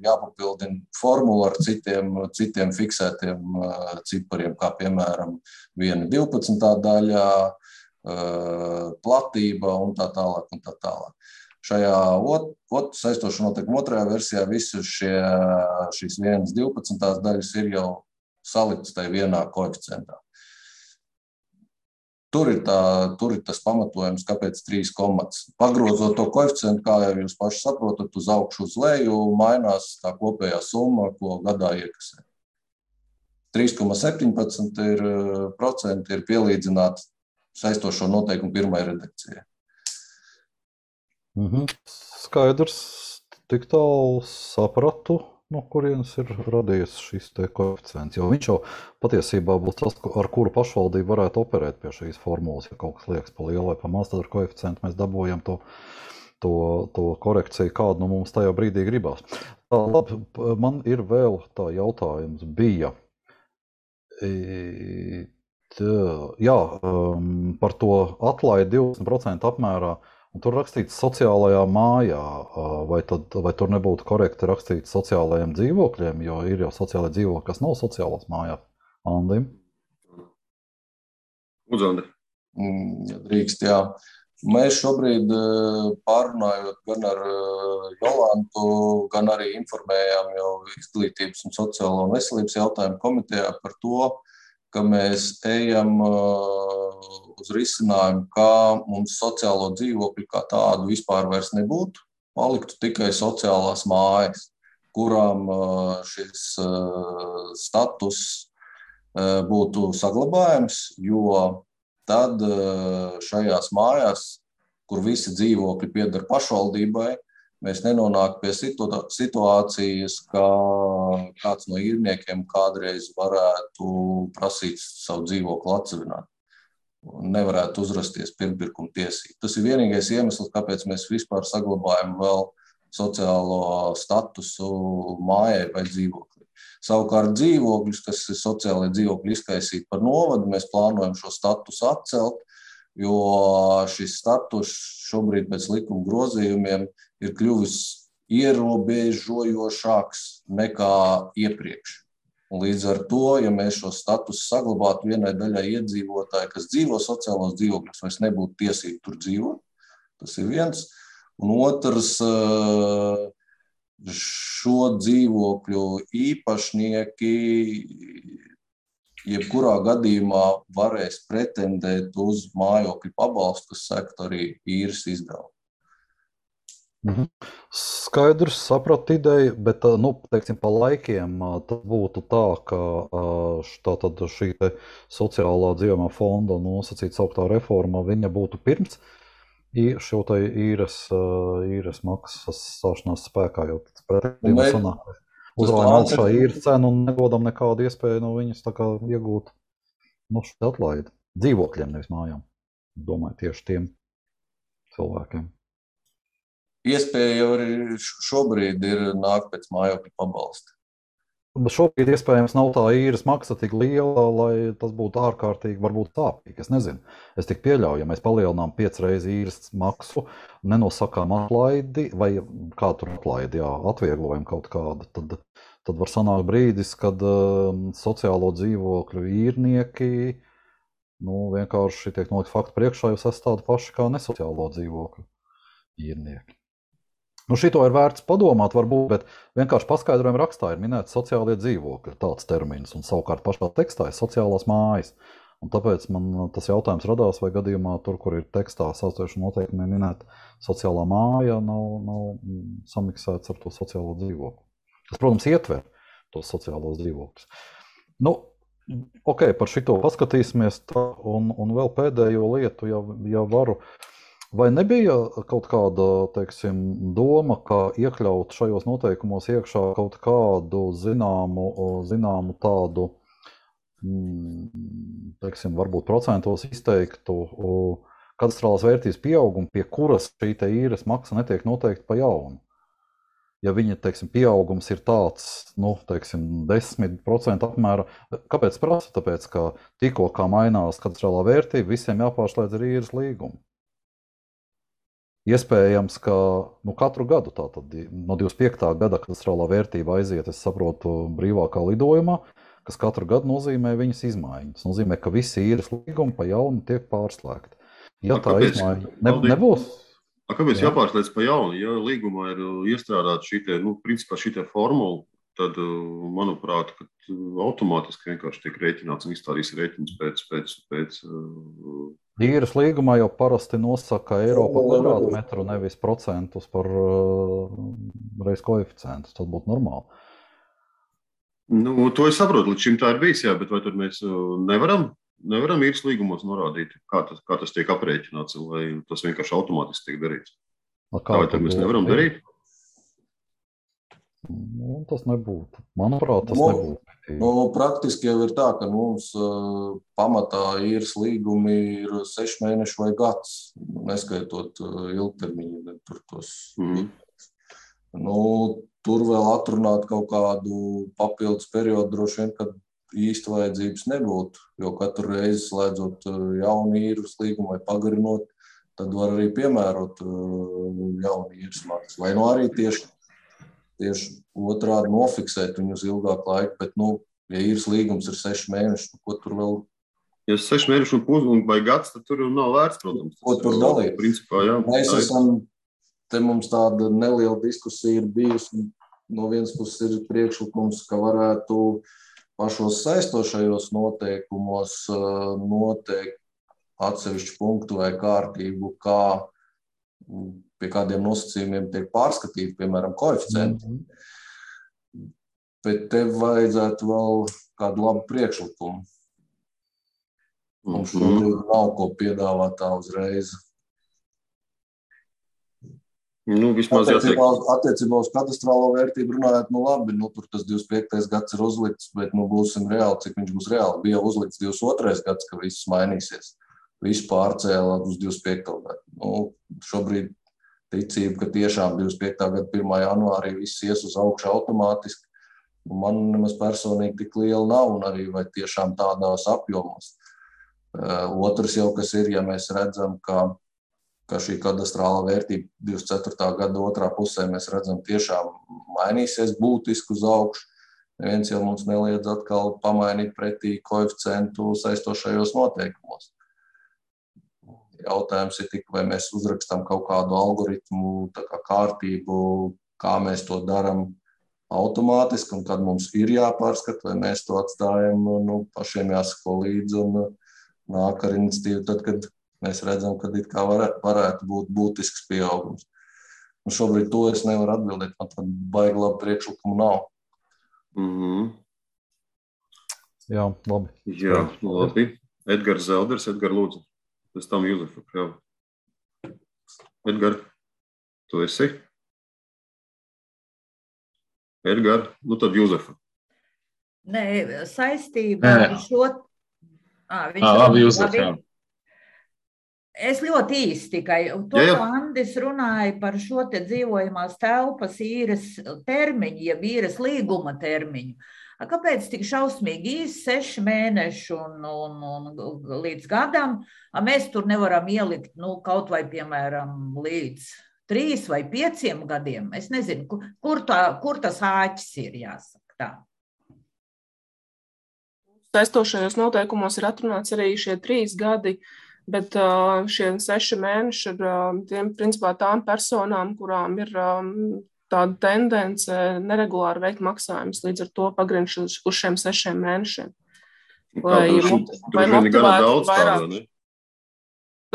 jāpapildina formula ar citiem, citiem fiksētiem cipariem, kā piemēram viena divpadsmitā daļā, platība un tā tālāk un tā tālāk. Šajā ot, ot, saistošo noteikumu otrajā versijā visas šie, šīs vienas divpadsmitās daļas ir jau saliktas tajā vienā koeficientā. Tur ir, tā, tur ir tas pamatojums, kāpēc trīs komats. Pagrozot to koeficientu, kā jau jūs paši saprotat, uz augšu uz leju, mainās tā kopējā summa, ko gadā iekasē. trīs komats septiņpadsmit ir, procenti ir pielīdzināti saistošo noteikumu pirmajai redakcijai. Mhm. Skaidrs, tik tālu sapratu, no kurienes ir radies šis te koeficients, jo viņš jau patiesībā būs tas, ar kuru pašvaldība varētu operēt pie šīs formulas, ja kaut kas liekas pa lielu vai pa maz, tad ar koeficientu mēs dabūjam to, to, to korekciju, kādu no mums tajā brīdī gribās. Tā, labi, man ir vēl tā jautājums bija, tā, jā, par to atlaidi divdesmit procenti apmērā. Un tur rakstīts sociālajā mājā, vai, tad, vai tur nebūtu korekti rakstīts sociālajiem dzīvokļiem, jo ir jau sociālai dzīvokļi, kas nav sociālās mājās. Andim? Lūdzu, Andi. Ja drīkst, jā. Mēs šobrīd pārunājot gan ar Jolantu, gan arī informējām jau Izglītības un sociālo un veselības jautājumu komitejā par to, ka mēs ejam uz risinājumu, kā mums sociālo dzīvokļu kā tādu vispār vairs nebūtu, paliktu tikai sociālās mājas. kurām šis status būtu saglabājams, jo tad šajās mājās, kur visi dzīvokļi pieder pašvaldībai, mēs nenonāk pie situācijas, ka kāds no īrniekiem kādreiz varētu prasīt savu dzīvokli atsevināt. Nevarētu uzrasties pirmpirkuma tiesību. Tas ir vienīgais iemesls, kāpēc mēs vispār saglabājam vēl sociālo statusu mājai vai dzīvokli. Savukārt dzīvokļus, kas ir sociālai dzīvokļi izkaisīti par novadu, mēs plānojam šo statusu atcelt, jo šis status šobrīd pēc likuma grozījumiem ir kļuvis ierobežojošāks nekā iepriekš. Un līdz ar to, ja mēs šo statusu saglabātu vienai daļai iedzīvotāji, kas dzīvo sociālos dzīvokļos, vairs nebūtu tiesību tur dzīvot. Tas ir viens. Un otrs, šo dzīvokļu īpašnieki jebkurā gadījumā varēs pretendēt uz mājokļu pabalstu, kas sektu arī īres izdevumu. Mhm. Skaidrs, sapratu ideju, bet, nu, teiksim, pa laikiem tas būtu tā, ka tātad šī te sociālā dzīvojamā fonda nosacīt sauktā reforma, viņa būtu pirms šo te īres, īres maksas stāšanās spēkā, jo pretendījumā sanāk. Uzrājam augšā īres cenu un nedodam nekādu iespēju no viņas tā kā iegūt, nu, šo atlaidi. Dzīvokļiem, nevis mājām. Domāju, tieši tiem cilvēkiem. Iespēja jau arī šobrīd ir nākt pēc mājokļa pabalsta. Šobrīd iespējams nav tā īres maksa tik liela, lai tas būtu ārkārtīgi, varbūt sāpīgi. Es nezinu. Es tik pieļauju, ja mēs palielinām piec reizi īres maksu, nenosakām atlaidi, vai kā tur atlaidi, jā, atvieglojam kaut kādu, tad, tad var sanākt brīdis, kad um, sociālo dzīvokļu īrnieki, nu, vienkārši tiek nolikt faktu priekšā, jūs esat tādi paši kā nesociālo dzīvokļu īrnieki. Nu, šito ir vērts padomāt, varbūt, bet vienkārši paskaidrojuma rakstā ir minēts sociālie dzīvokļi, tāds termins, un savukārt pašā tekstā ir sociālās mājas. Un tāpēc man tas jautājums radās, vai gadījumā tur, kur ir tekstā saucošu noteikumiem minēta sociālā māja, nav, nav samiksēts ar to sociālo dzīvokli. Tas, protams, ietver tos sociālos dzīvokļus. Nu, ok, par šito paskatīsimies tā, un, un vēl pēdējo lietu, ja, ja varu. Vai nebija kaut kāda, teiksim, doma, kā iekļaut šajos noteikumos iekšā kaut kādu zināmu, zināmu tādu, teiksim, varbūt procentos izteiktu kadastrālās vērtības pieaugumu, pie kuras šī te īres maksa netiek noteikta pa jaunu? Ja viņa, teiksim, pieaugums ir tāds, nu, teiksim, desmit procenti apmēra, kāpēc prasa? Tāpēc, ka tikko kā mainās kadastrālā vērtība, visiem jāpārslēdz ar īres līgumu. Iespējams, ka nu, katru gadu, tātad no divdesmit piektā gada kadastrālā vērtība aiziet, es saprotu, brīvākā lidojumā, kas katru gadu nozīmē viņas izmaiņas. Tas nozīmē, ka visi īres līgumi pa jaunu tiek pārslēgti. Ja tā izmaiņa ne, nebūs... A, kāpēc jā? Jāpārslēdz pa jaunu? Ja līgumā ir iestrādāta šī te, nu, principā šī te formula, tad, manuprāt, ka automātiski vienkārši tiek rēķināts un izstādīs rēķins pēc... pēc, pēc Īres līgumā jau parasti nosaka eiro par kvadrātmetru, nevis procentus par uh, reiz koeficientus. Tas būtu normāli. Nu, to es saprotu, līdz šim tā ir bijis, jā, bet vai tad mēs nevaram, nevaram īres līgumos norādīt, kā tas, kā tas tiek aprēķināts, vai tas vienkārši automātiski tiek darīts? Kā vai tad mēs nevaram darīt? Nu, tas nebūtu. Manuprāt, tas nu, nebūtu. Nu, praktiski jau ir tā, ka mums uh, pamatā īres līgumi ir seši mēneši vai gads, neskaitot uh, ilgtermiņu. Tur, tos, mm. nu, tur vēl atrunāt kaut kādu papildus periodu droši vien, kad īsti vajadzības nebūtu, jo katru reizi slēdzot uh, jaunu īres līgumu vai pagarinot, tad var arī piemērot uh, jaunu īres maksu. Vai nu arī tieši Tieši otrādi nofiksēt viņu uz ilgāku laiku, bet, nu, ja īres līgums ir seši mēneši, nu, ko tur vēl... Ja seši mēneši un pus un vai gads, tad tur nav vērts, protams. Ko tur dalīt? Principā, jā. Mēs esam, te mums tāda neliela diskusija ir bijusi, no vienas puses ir priekšlikums, ka varētu pašos saistošajos noteikumos noteikt atsevišķu punktu vai kārtību, kā pie kādiem nosacījumiem tiek pārskatīti, piemēram, koeficienti. Mm-hmm. bet tev vajadzētu vēl kādu labu priekšlikumu. Mums šodien nav ko piedāvāt tā uzreiz. Nu, vismaz attiecībā, attiecībā uz katastrālo vērtību runājot, nu labi, nu tur tas divdesmit piektais gads ir uzlikts, bet nu būsim reāli, cik viņš būs reāli. Bija uzlikts divdesmit otrais gads, ka viss mainīsies. Viss pārcēla uz divdesmit piekto gadu. Nu, šobrīd ticība, ka tiešām divdesmit piektā gada pirmā janvārī viss ies uz augšu automātiski. Nu, man nemaz personīgi tik liela nav un arī vai tiešām tādās apjomos. Uh, otrs jau, kas ir, ja mēs redzam, ka ka šī kadastrāla vērtība divdesmit ceturtā gada otrā pusē mēs redzam tiešām mainīsies būtiski uz augšu. Neviens jau mums neliedz atkal pamainīt pretī koeficientu saistošajos noteikumos. Jautājums ir tik, vai mēs uzrakstam kaut kādu algoritmu, tā kā kārtību, kā mēs to daram automātiski un kad mums ir jāpārskat, vai mēs to atstājam, nu, pašiem jāsako līdzi un nāk ar iniciatīvu tad, kad mēs redzam, ka it kā varētu, varētu būt būtisks pieaugums. Un šobrīd to es nevaru atbildēt, man tad baigi labi priekšlikumu nav. Mm-hmm. Jā, labi. Jā, labi. Edgars Zelders, Edgar lūdzu. Pēc tam Juzefa Krava. Edgar, tu esi? Edgar, nu tad Juzefa. Nē, saistībā ar šo... Ā, viņš Ā, labi, Juzef, jā. Es ļoti īsti tikai, to, jā, jā. Ko Andis runāja par šo te dzīvojamās telpas īres termiņu, ja īres līguma termiņu. Kāpēc tik šausmīgi īsi seši mēneši un, un, un līdz gadam, mēs tur nevaram ielikt, nu, kaut vai, piemēram, līdz trīs vai pieciem gadiem? Es nezinu, kur, kur, tā, kur tas āķis ir, jāsaka tā. Saistošajos noteikumos ir atrunāts arī šie trīs gadi, bet šie seši mēneši ir tiem, principā, tām personām, kurām ir tāda tendence neregulāri veikt maksājumus, līdz ar to pagriņš uz, uz šiem sešiem mēnešiem. Lai, lai motivētu vairāk.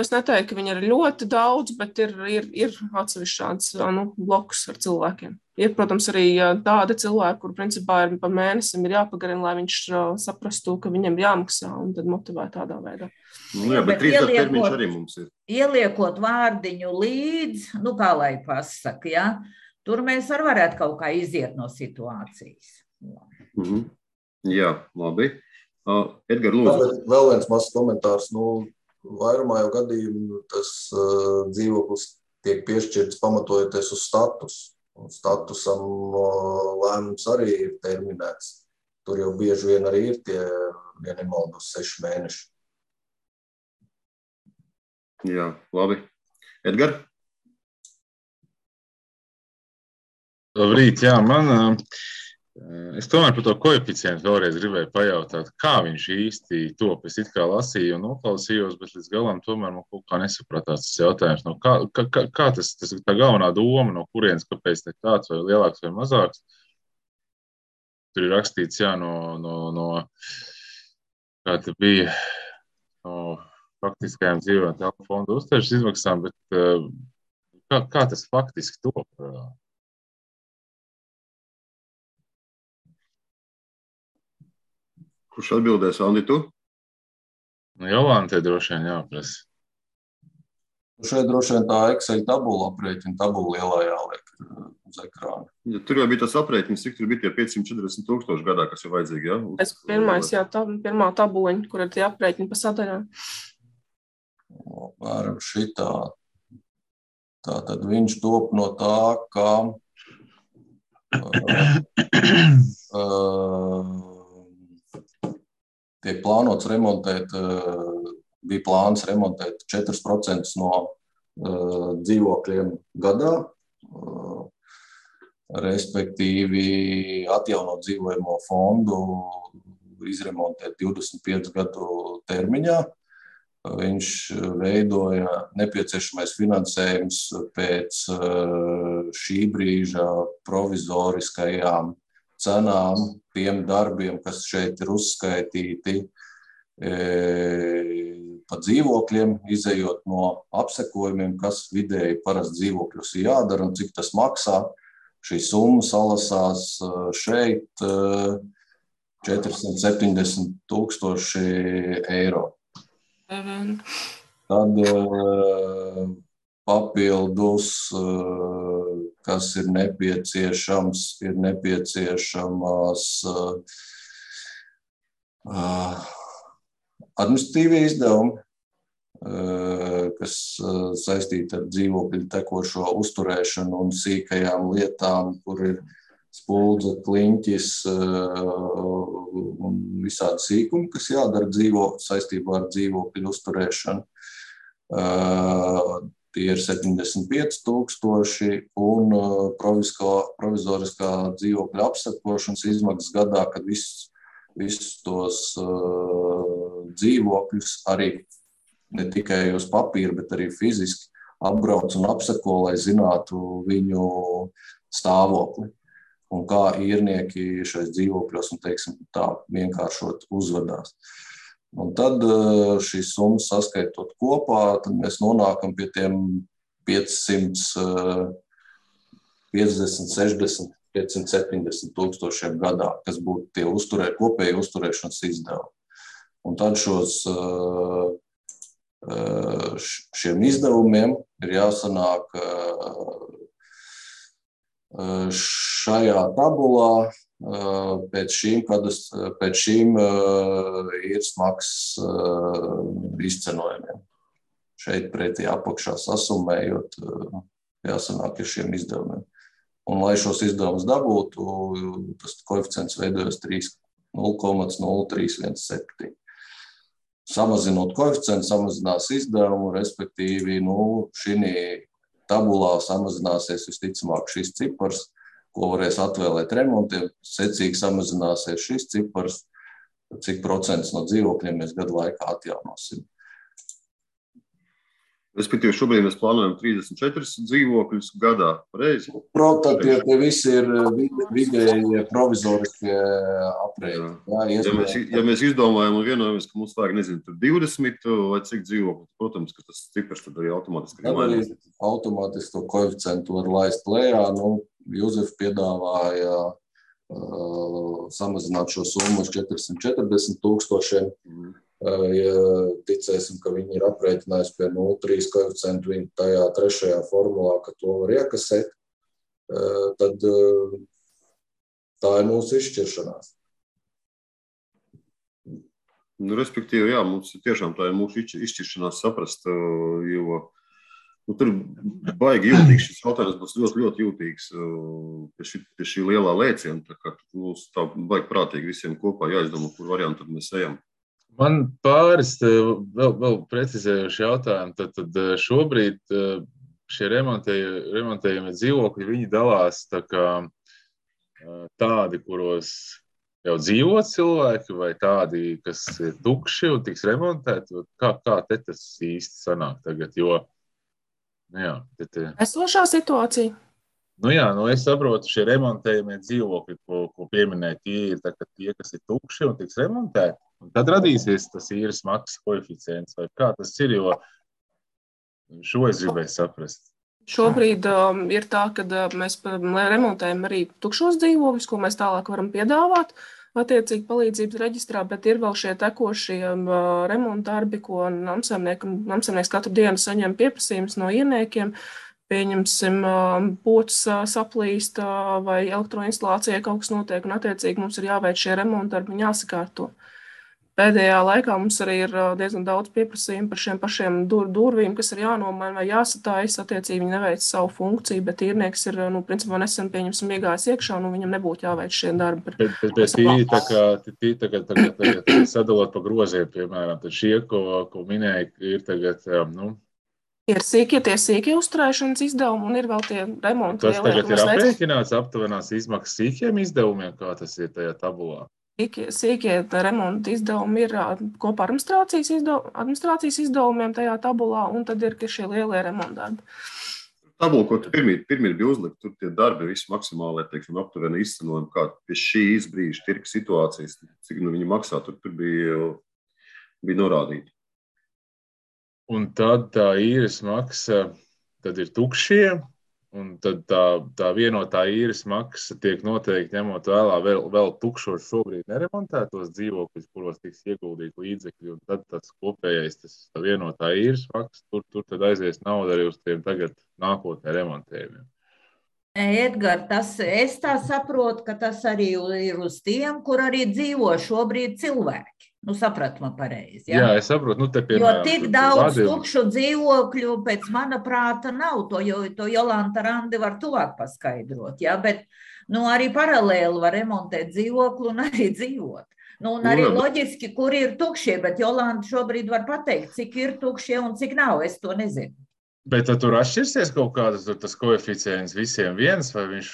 Es neteiktu, ka viņi ir ļoti daudz, bet ir, ir, ir atsevišķi šāds nu, blokus ar cilvēkiem. Ir, protams, arī tādi cilvēki, kur principā ir pa mēnesim ir jāpagarina, lai viņš saprastu, ka viņam ir jāmaksā un tad motivē tādā veidā. Nu, jā, bet trīs gadu termiņš arī mums ir. Ieliekot vārdiņu līdz, nu kā lai pasaka, ja, tur mēs arī varētu kaut kā iziet no situācijas. Mm-hmm. Jā, labi. Uh, Edgar, lūdzu. Vēl viens mazs komentārs. Nu, vairumā jau gadījumu tas uh, dzīvoklis tiek piešķirts pamatojoties uz status. Un statusam uh, lēmums arī ir terminēts. Tur jau bieži vien arī ir tie, ja nemaldos, seši mēneši. Jā, labi. Edgar? Labrīt, jā, man, es tomēr par to koeficientu vēlreiz gribēju pajautāt, kā viņš īsti top. Es it kā lasīju un noklausījos, bet līdz galam tomēr man kaut kā nesapratās tas jautājums. No kā, kā, kā tas, tas tā galvenā doma, no kurienes, kāpēc te tāds vai lielāks vai mazāks? Tur ir rakstīts, jā, no, no, no kā te bija, no faktiskajām dzīvojamā telpu fonda uzturēšanas izmaksām, bet kā, kā tas faktiski top? Kurš atbildēs, Andi, tu? Nu, Jolante droši vien jāprasa. Šeit droši vien tā Excel tabula aprēķina tabula lielā jāliek uz ekrāna. Ja, tur jau bija tas aprēķins, cik tur bija tie piecsimt četrdesmit tūkstoši gadā, kas ir vajadzīgi, jā? Es pirmais, jā, tā, pirmā tabuliņa, kur ir tie aprēķini pa sadaļām. Apmēram šitā. Tātad viņš top no tā, ka uh, uh, tiek plānots remontēt, uh, bija plāns remontēt četri procenti no uh, dzīvokļiem gadā, uh, respektīvi atjaunot dzīvojamo fondu, izremontēt divdesmit piecu gadu termiņā. Viņš veidoja nepieciešamais finansējums pēc šī brīža provizoriskajām cenām, tiem darbiem, kas šeit ir uzskaitīti pa dzīvokļiem, izejot no apsekojumiem, kas vidēji parasti dzīvokļus ir jādara un cik tas maksā. šī summa salasās šeit četrsimt septiņdesmit tūkstoši eiro. Tad papildus, kas ir nepieciešams, ir nepieciešamas administratīvie izdevumi, kas saistīti ar dzīvokļu tekošo uzturēšanu un sīkajām lietām, kur ir spuldze, kliņķis un visādi sīkumi, kas jādara dzīvo, saistībā ar dzīvokļu uzturēšanu. Tie ir septiņdesmit pieci tūkstoši un provizoriskā dzīvokļa apsakošanas izmaksas gadā, kad visus, visus tos dzīvokļus arī ne tikai uz papīra, bet arī fiziski apbrauc un apseko, lai zinātu viņu stāvokli un kā īrnieki šais dzīvokļos un, teiksim, tā vienkāršot uzvedās. Un tad šīs summas saskaitot kopā, tad mēs nonākam pie tiem piecsimt piecdesmit, sešdesmit, piecsimt septiņdesmit tūkstošiem gadā, kas būtu tie uzturē, kopēji uzturēšanas izdevumi. Un tad šos šiem izdevumiem ir jāsanāk šajā tabulā pēc šīm, pēc šīm īres maksas izcenojumiem. Šeit pretī apakšā sasummējot, jāsanāk ar šiem izdevumiem. Un, lai šos izdevumus dabūtu, tas koeficients veidojas nulle komats nulle trīs viens septiņi. Samazinot koeficientu, samazinās izdevumu, respektīvi, nu, šī tabulā samazināsies visticamāk šis cipars, ko varēs atvēlēt remontiem, secīgi samazināsies šis cipars, cik procents no dzīvokļiem mēs gadu laikā atjaunosim. Respektīvi, šobrīd mēs plānojam trīsdesmit četrus dzīvokļus gadā, pareizi? Protams, tie, tie visi ir vidēji provizoriskie aprēķini. Ja, ja, mēs, ja mēs izdomājam un vienojamies, ka mums vajag, nezinu, tur divdesmit vai cik dzīvokļu, protams, ka tas cipars tad arī automātiski ir mainās. Automātiski to koeficientu var laist lejā. Nu, Juzef piedāvāja uh, samazināt šo summu uz četrsimt četrdesmit tūkstošiem. Mm. Ja ticēsim, ka viņi ir aprēķinājuši pie nulle trīs koeficientu viņi tajā trešajā formulā, ka to var iekasēt, tad tā ir mūsu izšķiršanās. Nu, respektīvi, jā, mums tiešām tā ir mūsu izšķiršanās saprast, jo nu, tur baigi jūtīgs šis jautājums būs ļoti, ļoti jūtīgs pie šī, pie šī lielā lēciena, tā kā mums tā baigi prātīgi visiem kopā jāizdomā, kur variantu tad mēs ejam. Man pāris vēl, vēl precizējuši jautājumi, tad, tad šobrīd šie remontējumi dzīvokļi, viņi dalās tā kā tādi, kuros jau dzīvo cilvēki, vai tādi, kas ir tukši un tiks remontēti, kā, kā te tas īsti sanāk tagad, jo, nu jā, te, te... Esošā situācija. Nu jā, nu es saprotu, šie remontējumie dzīvokļi, ko, ko pieminēja, tie ir tā, ka tie, kas ir tukši un tiks remontēti, un tad radīsies tas īres maksas koeficients, vai kā tas ir, jo šo es gribēju saprast. Šobrīd um, ir tā, ka uh, mēs remontējam arī tukšos dzīvokļus, ko mēs tālāk varam piedāvāt, attiecīgi palīdzības reģistrā, bet ir vēl šie tekošie uh, remontdarbi, ko namsaimnieks katru dienu saņem pieprasījumus no ieniekiem. Pieņemsim, pocis saplīst vai elektroinstalācijai kaut kas notiek, un attiecīgi mums ir jāveic šie remontdarbi un jāsakārto. Pēdējā laikā mums arī ir diezgan daudz pieprasījumu par šiem pašiem dur, durvīm, kas ir jānomaina vai jāsatājas, attiecīgi viņi neveic savu funkciju, bet īrnieks ir, nu, principā nesen pieņemsim iegājis iekšā, un viņam nebūtu jāveic šie darbi. Bet, bet, bet tī, tā kā, tī, tagad, tagad, tagad, tagad sadalot pa groziem, piemēram, tad šie, ko, ko minēja, ir tagad, nu, ir sīkie, tie sīkie uzturēšanas izdevumi un ir vēl tie remonti. Tas tagad ir aprēķināts aptuvenās izmaksas sīkiem izdevumiem, kā tas ir tajā tabulā? Sīkie, sīkie remonti izdevumi ir kopā administrācijas, izdev, administrācijas izdevumiem tajā tabulā, un tad ir šie lielie remontdarbi. Tabula, ko tu pirmīt, pirmīt bija uzlikt, tur tie darbi visi maksimāli, teiksim, aptuveni izcenojumi, kā pie šīs brīža tirka situācijas, cik nu viņi maksā, tur, tur bija, bija norādīti. Un tad tā īres maksa, tad ir tukšie, un tad tā, tā vienotā īres maksa tiek noteikti ņemot vēlā vēl, vēl tukšos šobrīd neremontētos dzīvokļus, kuros tiks ieguldīt līdzekļi, un tad tas kopējais, tas tā vienotā īres maksa, tur, tur tad aizies nauda arī uz tiem tagad nākotnē remontējumiem. Edgar, tas, es tā saprotu, ka tas arī ir uz tiem, kur arī dzīvo šobrīd cilvēki. Nu, saprat man pareizi. Ja? Jā, es saprotu. Nu, te, jo piemēram, tik tur, daudz vadījumi. tukšu dzīvokļu pēc mana prāta nav. To, jo, to Jolanta Randi var tuvāk paskaidrot. Ja? Bet nu, arī paralēli var remontēt dzīvokli un arī dzīvot. Nu, un arī loģiski, kur ir tukšie, bet Jolanta šobrīd var pateikt, cik ir tukšie un cik nav. Es to nezinu. Bet tur atšķirsies kaut kādas tas koeficients visiem viens, vai viņš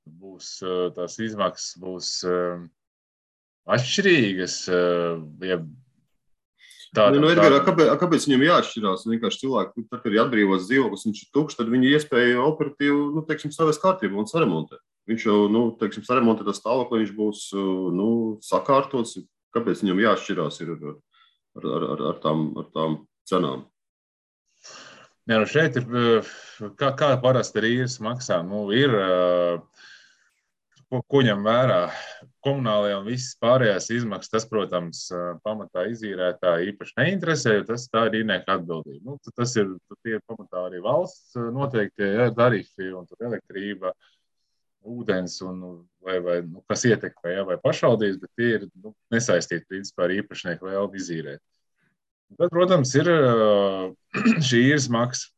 būs, tās izmaksas būs atšķirīgas? Ja tā, nu, nu, tā, Edgar, tā... kāpēc, kāpēc viņam jāatšķirās? Vienkārši cilvēki, tad, kad ir atbrīvots dzīvoklis, viņš ir tukšs, tad viņi iespēja operatīvi, nu, teiksim, savas kārtību un saremontēt. Viņš jau, nu, teiksim, saremontē tas stāvokli, viņš būs, nu, sakārtots. Kāpēc viņam jāatšķirās ir ar, ar, ar, ar, tām, ar tām cenām? Jā, nu šeit ir, kā, kā parasti ir īres maksā, nu ir, ko, ko ņem vērā komunālajā un visas pārējās izmaksas, tas, protams, pamatā izīrētāji īpaši neinteresē, jo tas tā ir īrnieka atbildība. Nu, tas ir, tie ir pamatā arī valsts noteiktie ja, tarifi un elektrība, ūdens un vai, vai nu, kas ietekmē, ja, vai pašvaldības, bet tie ir nu, nesaistīti principā ar īpašnieku vēlmi izīrēt. Tad, protams, ir šī īres maksa.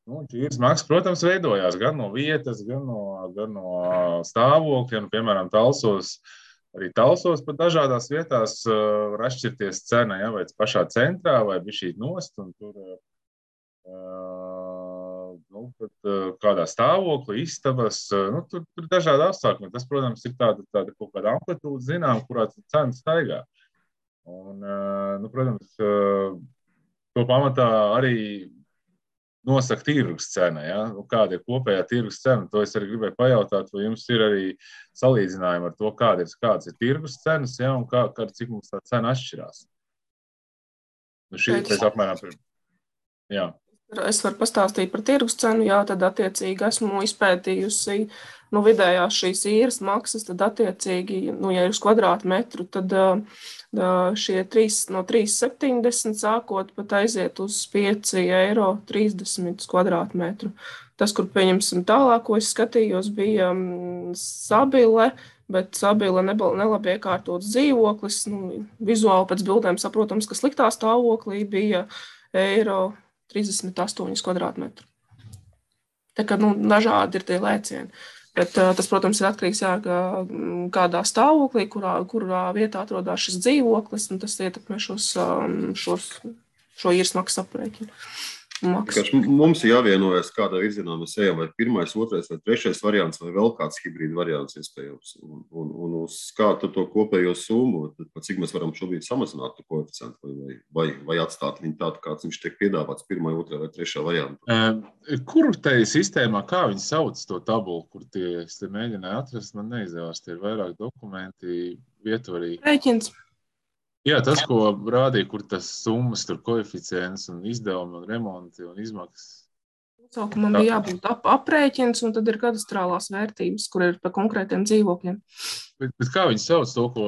Nu, šī īres maksa, protams, veidojās gan no vietas, gan no, gan no stāvokļa. Piemēram, Talsos, arī Talsos pat dažādās vietās var atšķirties cena, ja, vai pašā centrā, vai bišķīt nost, un tur nu, pat, kādā stāvoklī, istabas, nu, tur, tur dažādi apstākļi. Tas, protams, ir tāda, tāda kaut kāda amplitūda, zinām, kurā cena staigā. Un, nu, protams, to pamatā arī nosaka tirgus cena. Ja? Kāda ir kopējā tirgus cena? To es arī gribēju pajautāt, vai jums ir arī salīdzinājumi ar to, kāda ir, kādas ir tirgus cenas, ja? Un kā, kā, cik mums tā cena atšķirās. Nu, šī ir pēc apmēram... Jā. Es varu pastāstīt par tirgus cenu, jā, tad attiecīgi esmu izpētījusi nu, vidējās šīs īres maksas, tad attiecīgi, nu, ja ir uz kvadrātmetru, tad šie trīs, no trīs septiņdesmit sākot pat aiziet uz pieci eiro trīsdesmit kvadrātmetru. Tas, kur pieņemsim tālāk, ko es skatījos, bija Sabile, bet Sabile nelabi iekārtots dzīvoklis. Nu, vizuāli pēc bildēm saprotams, ka sliktā stāvoklī bija eiro trīsdesmit astoņi kvadrātmetri. Tā kā nu, dažādi ir tie lēcieni. Bet uh, tas, protams, ir atkarīgs jā, kādā stāvoklī, kurā, kurā vietā atrodas šis dzīvoklis, un tas ietekmē šos, šos, šo īres maksas aprēķinu. Mums ir jāvienojas, kādā virzienā mēs ejam, vai pirmais, otrais vai trešais variants, vai vēl kāds hibrīda variants iespējams. Un, un, un uz kādu to kopējo summu, tad cik mēs varam šobrīd samazināt to koeficientu, vai, vai, vai atstāt viņu tādu, kāds viņš tiek piedāvāts pirmā, otrā vai trešā variantā. Kur te sistēmā, kā viņi sauc to tabulu, kur tie, es te mēģināju atrast, man neizdevās, tie ir vairāk dokumenti, vietvarīgi. Rēķins. Jā, tas, ko rādīja, kur tas summas, tur koeficients un izdevumi un remonti un izmaksas. Sākumam bija jābūt ap, aprēķins, un tad ir kadastrālās vērtības, kur ir pa konkrētiem dzīvokļiem. Bet, bet kā viņi sauc to, ko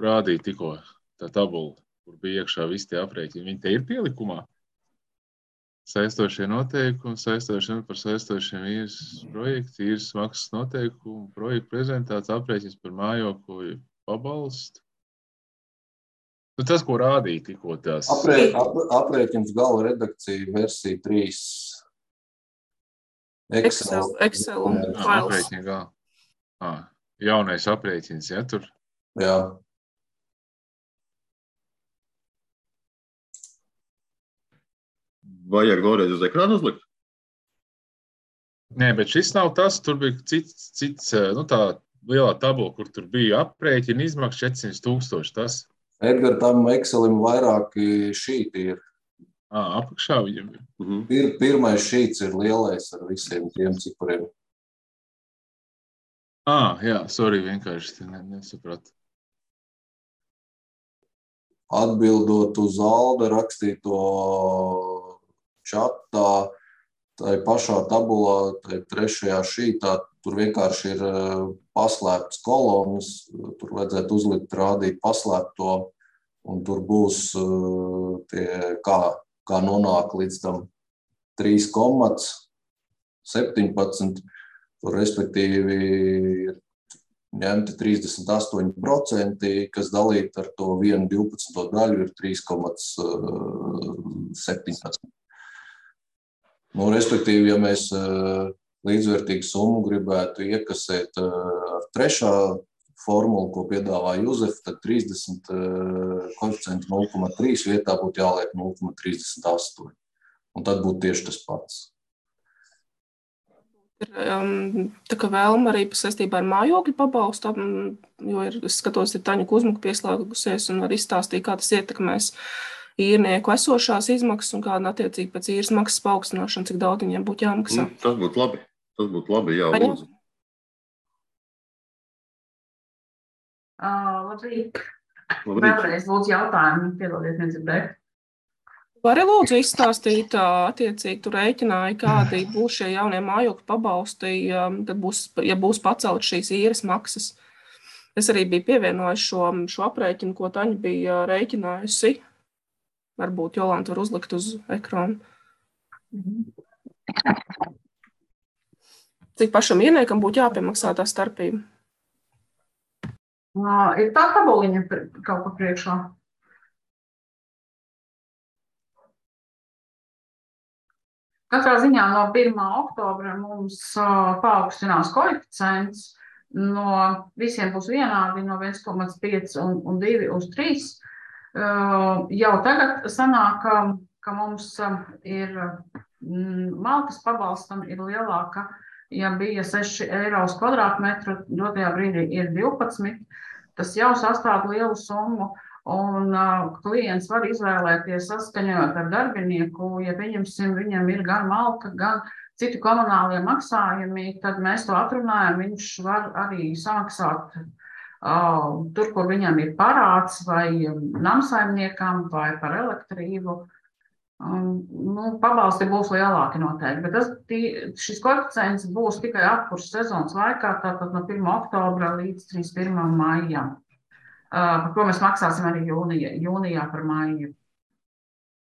rādīja tikko, tā tabula, kur bija iekšā visi tie aprēķini? Viņi te ir pielikumā? Saistošie noteikumi, saistošie par saistošiem īres projektu, īres maksas noteikumu, projektu prezentāts, aprēķins par mājokļu pabalstu. Nu, tas, ko rādīja tikko tās. Aprē, ap, aprēķins gala redakcija versija trīs. Excel. Excel un jā, aprēķina gala. À, jaunais aprēķins, ja, tur? Jā. Vajag vēlreiz uz ekrānu uzlikt? Nē, bet šis nav tas, tur bija cits, cits nu tā lielā tabula, kur tur bija aprēķina izmaksa četrsimt tūkstoši, tas. Edgar, tam Excelim vairāki šīti ir. Ā, apakšā viņam ir. Mhm. Pir, pirmais šīts ir lielais ar visiem tiem cipariem. Ā, jā, sorry, vienkārši nesapratu. Atbildot uz Alda rakstīto čatā, tā pašā tabulā, tā trešajā šītā, tur vienkārši ir paslēptas kolonas, tur vajadzētu uzlikt, rādīt paslēpto, un tur būs tie, kā, kā nonāk līdz tam trīs komats septiņpadsmit, tur respektīvi ir ņemti trīsdesmit astoņi procenti, kas dalīt ar to vienu divpadsmito daļu ir trīs komats septiņpadsmit. Nu, respektīvi, ja mēs līdzvērtīgu summu gribētu iekasēt ar trešā formulu, ko piedāvā Juzef, tad trīsdesmit koeficienti nulle komats trīs vietā būtu jāliek nulle komats trīsdesmit astoņi. Un tad būtu tieši tas pats. Um, tā kā vēlma arī saistībā ar mājokļu pabalstu, jo ir, es skatos, ir Taņa Kuzmuka pieslēgusies un var izstāstīt, kā tas ietekmēs īrnieku esošās izmaksas un kāda attiecīgi pēc īres maksas paaugstināšana, cik daudz viņiem būtu jāmaksā. Nu, tas būtu labi. Tas būtu labi, jā, Aņa? lūdzu. Uh, labrīt. Labrīt. Vēlreiz lūdzu jautājumu, piedodiet, nedzirdēt. Vari lūdzu izstāstīt, attiecīgi tu rēķināji, kādi būs šie jaunie mājokļu pabalsti, kad būs, ja būs pacelt šīs īres maksas. Es arī biju pievienojis šo, šo aprēķinu, ko Taņa bija rēķinājusi. Varbūt Jolanta var uzlikt uz ekrānu. Cik pašam īrniekam būtu jāpiemaksā tā starpība? Uh, ir tā tabuliņa kaut kā priekšā. Katrā ziņā no pirmā oktobra mums uh, paaugstinās koeficients, no visiem būs vienādi, no viens komats pieci un, un divi uz trīs. Uh, jau tagad sanāk, ka, ka mums uh, ir mm, malkas pabalstam ir lielāka, ja bija seši eiro uz kvadrātmetru, dotajā brīdī ir divpadsmit. Tas jau sastāv lielu summu. Un uh, klients var izvēlēties saskaņot ar darbinieku, ja pieņemsim, viņam ir gan malka, gan citi komunālie maksājumi, tad mēs to atrunājam, viņš var arī samaksāt uh, tur, kur viņam ir parāds vai namsaimniekam vai par elektrību. Um, nu, pabalsti būs lielāki noteikti, bet tas, tī, šis koeficients būs tikai apkurss sezonas laikā, tātad no pirmā oktobra līdz trīsdesmit pirmajam maijam. Uh, par ko mēs maksāsim arī jūnijā, jūnijā par maiju.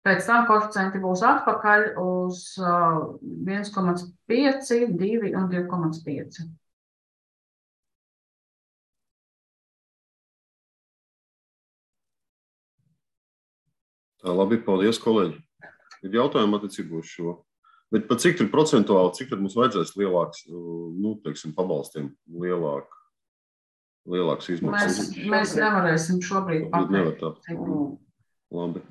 Pēc tam koeficienti būs atpakaļ uz uh, viens komats pieci, divi un divi komats pieci. Tā, labi, paldies, kolēģi. Ir jautājumi attiecībā uz šo. Bet pat cik tur procentuāli, cik tad mums vajadzēs lielāks, nu, teiksim, pabalstiem lielāk? Lielāks izmaksas. Mēs, mēs nevarēsim šobrīd pateikt. Labi.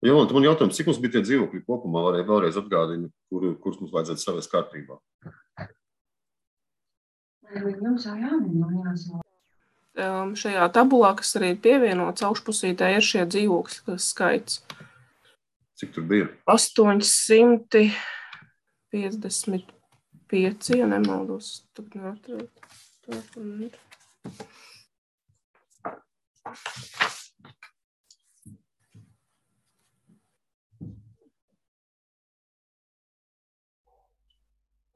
Jolanta, man jautājums, cik mums bija tie dzīvokļi kopumā, varēja vēlreiz atgādina, kur, kurus mums vajadzētu savest kārtībā? Jums jau jāminās. Um, šajā tabulā, kas arī ir pievienots augšpusītē, ir šie dzīvokļi skaits. Cik tur bija? astoņsimt piecdesmit pieci, ja nemaldos. Tur neatrēt.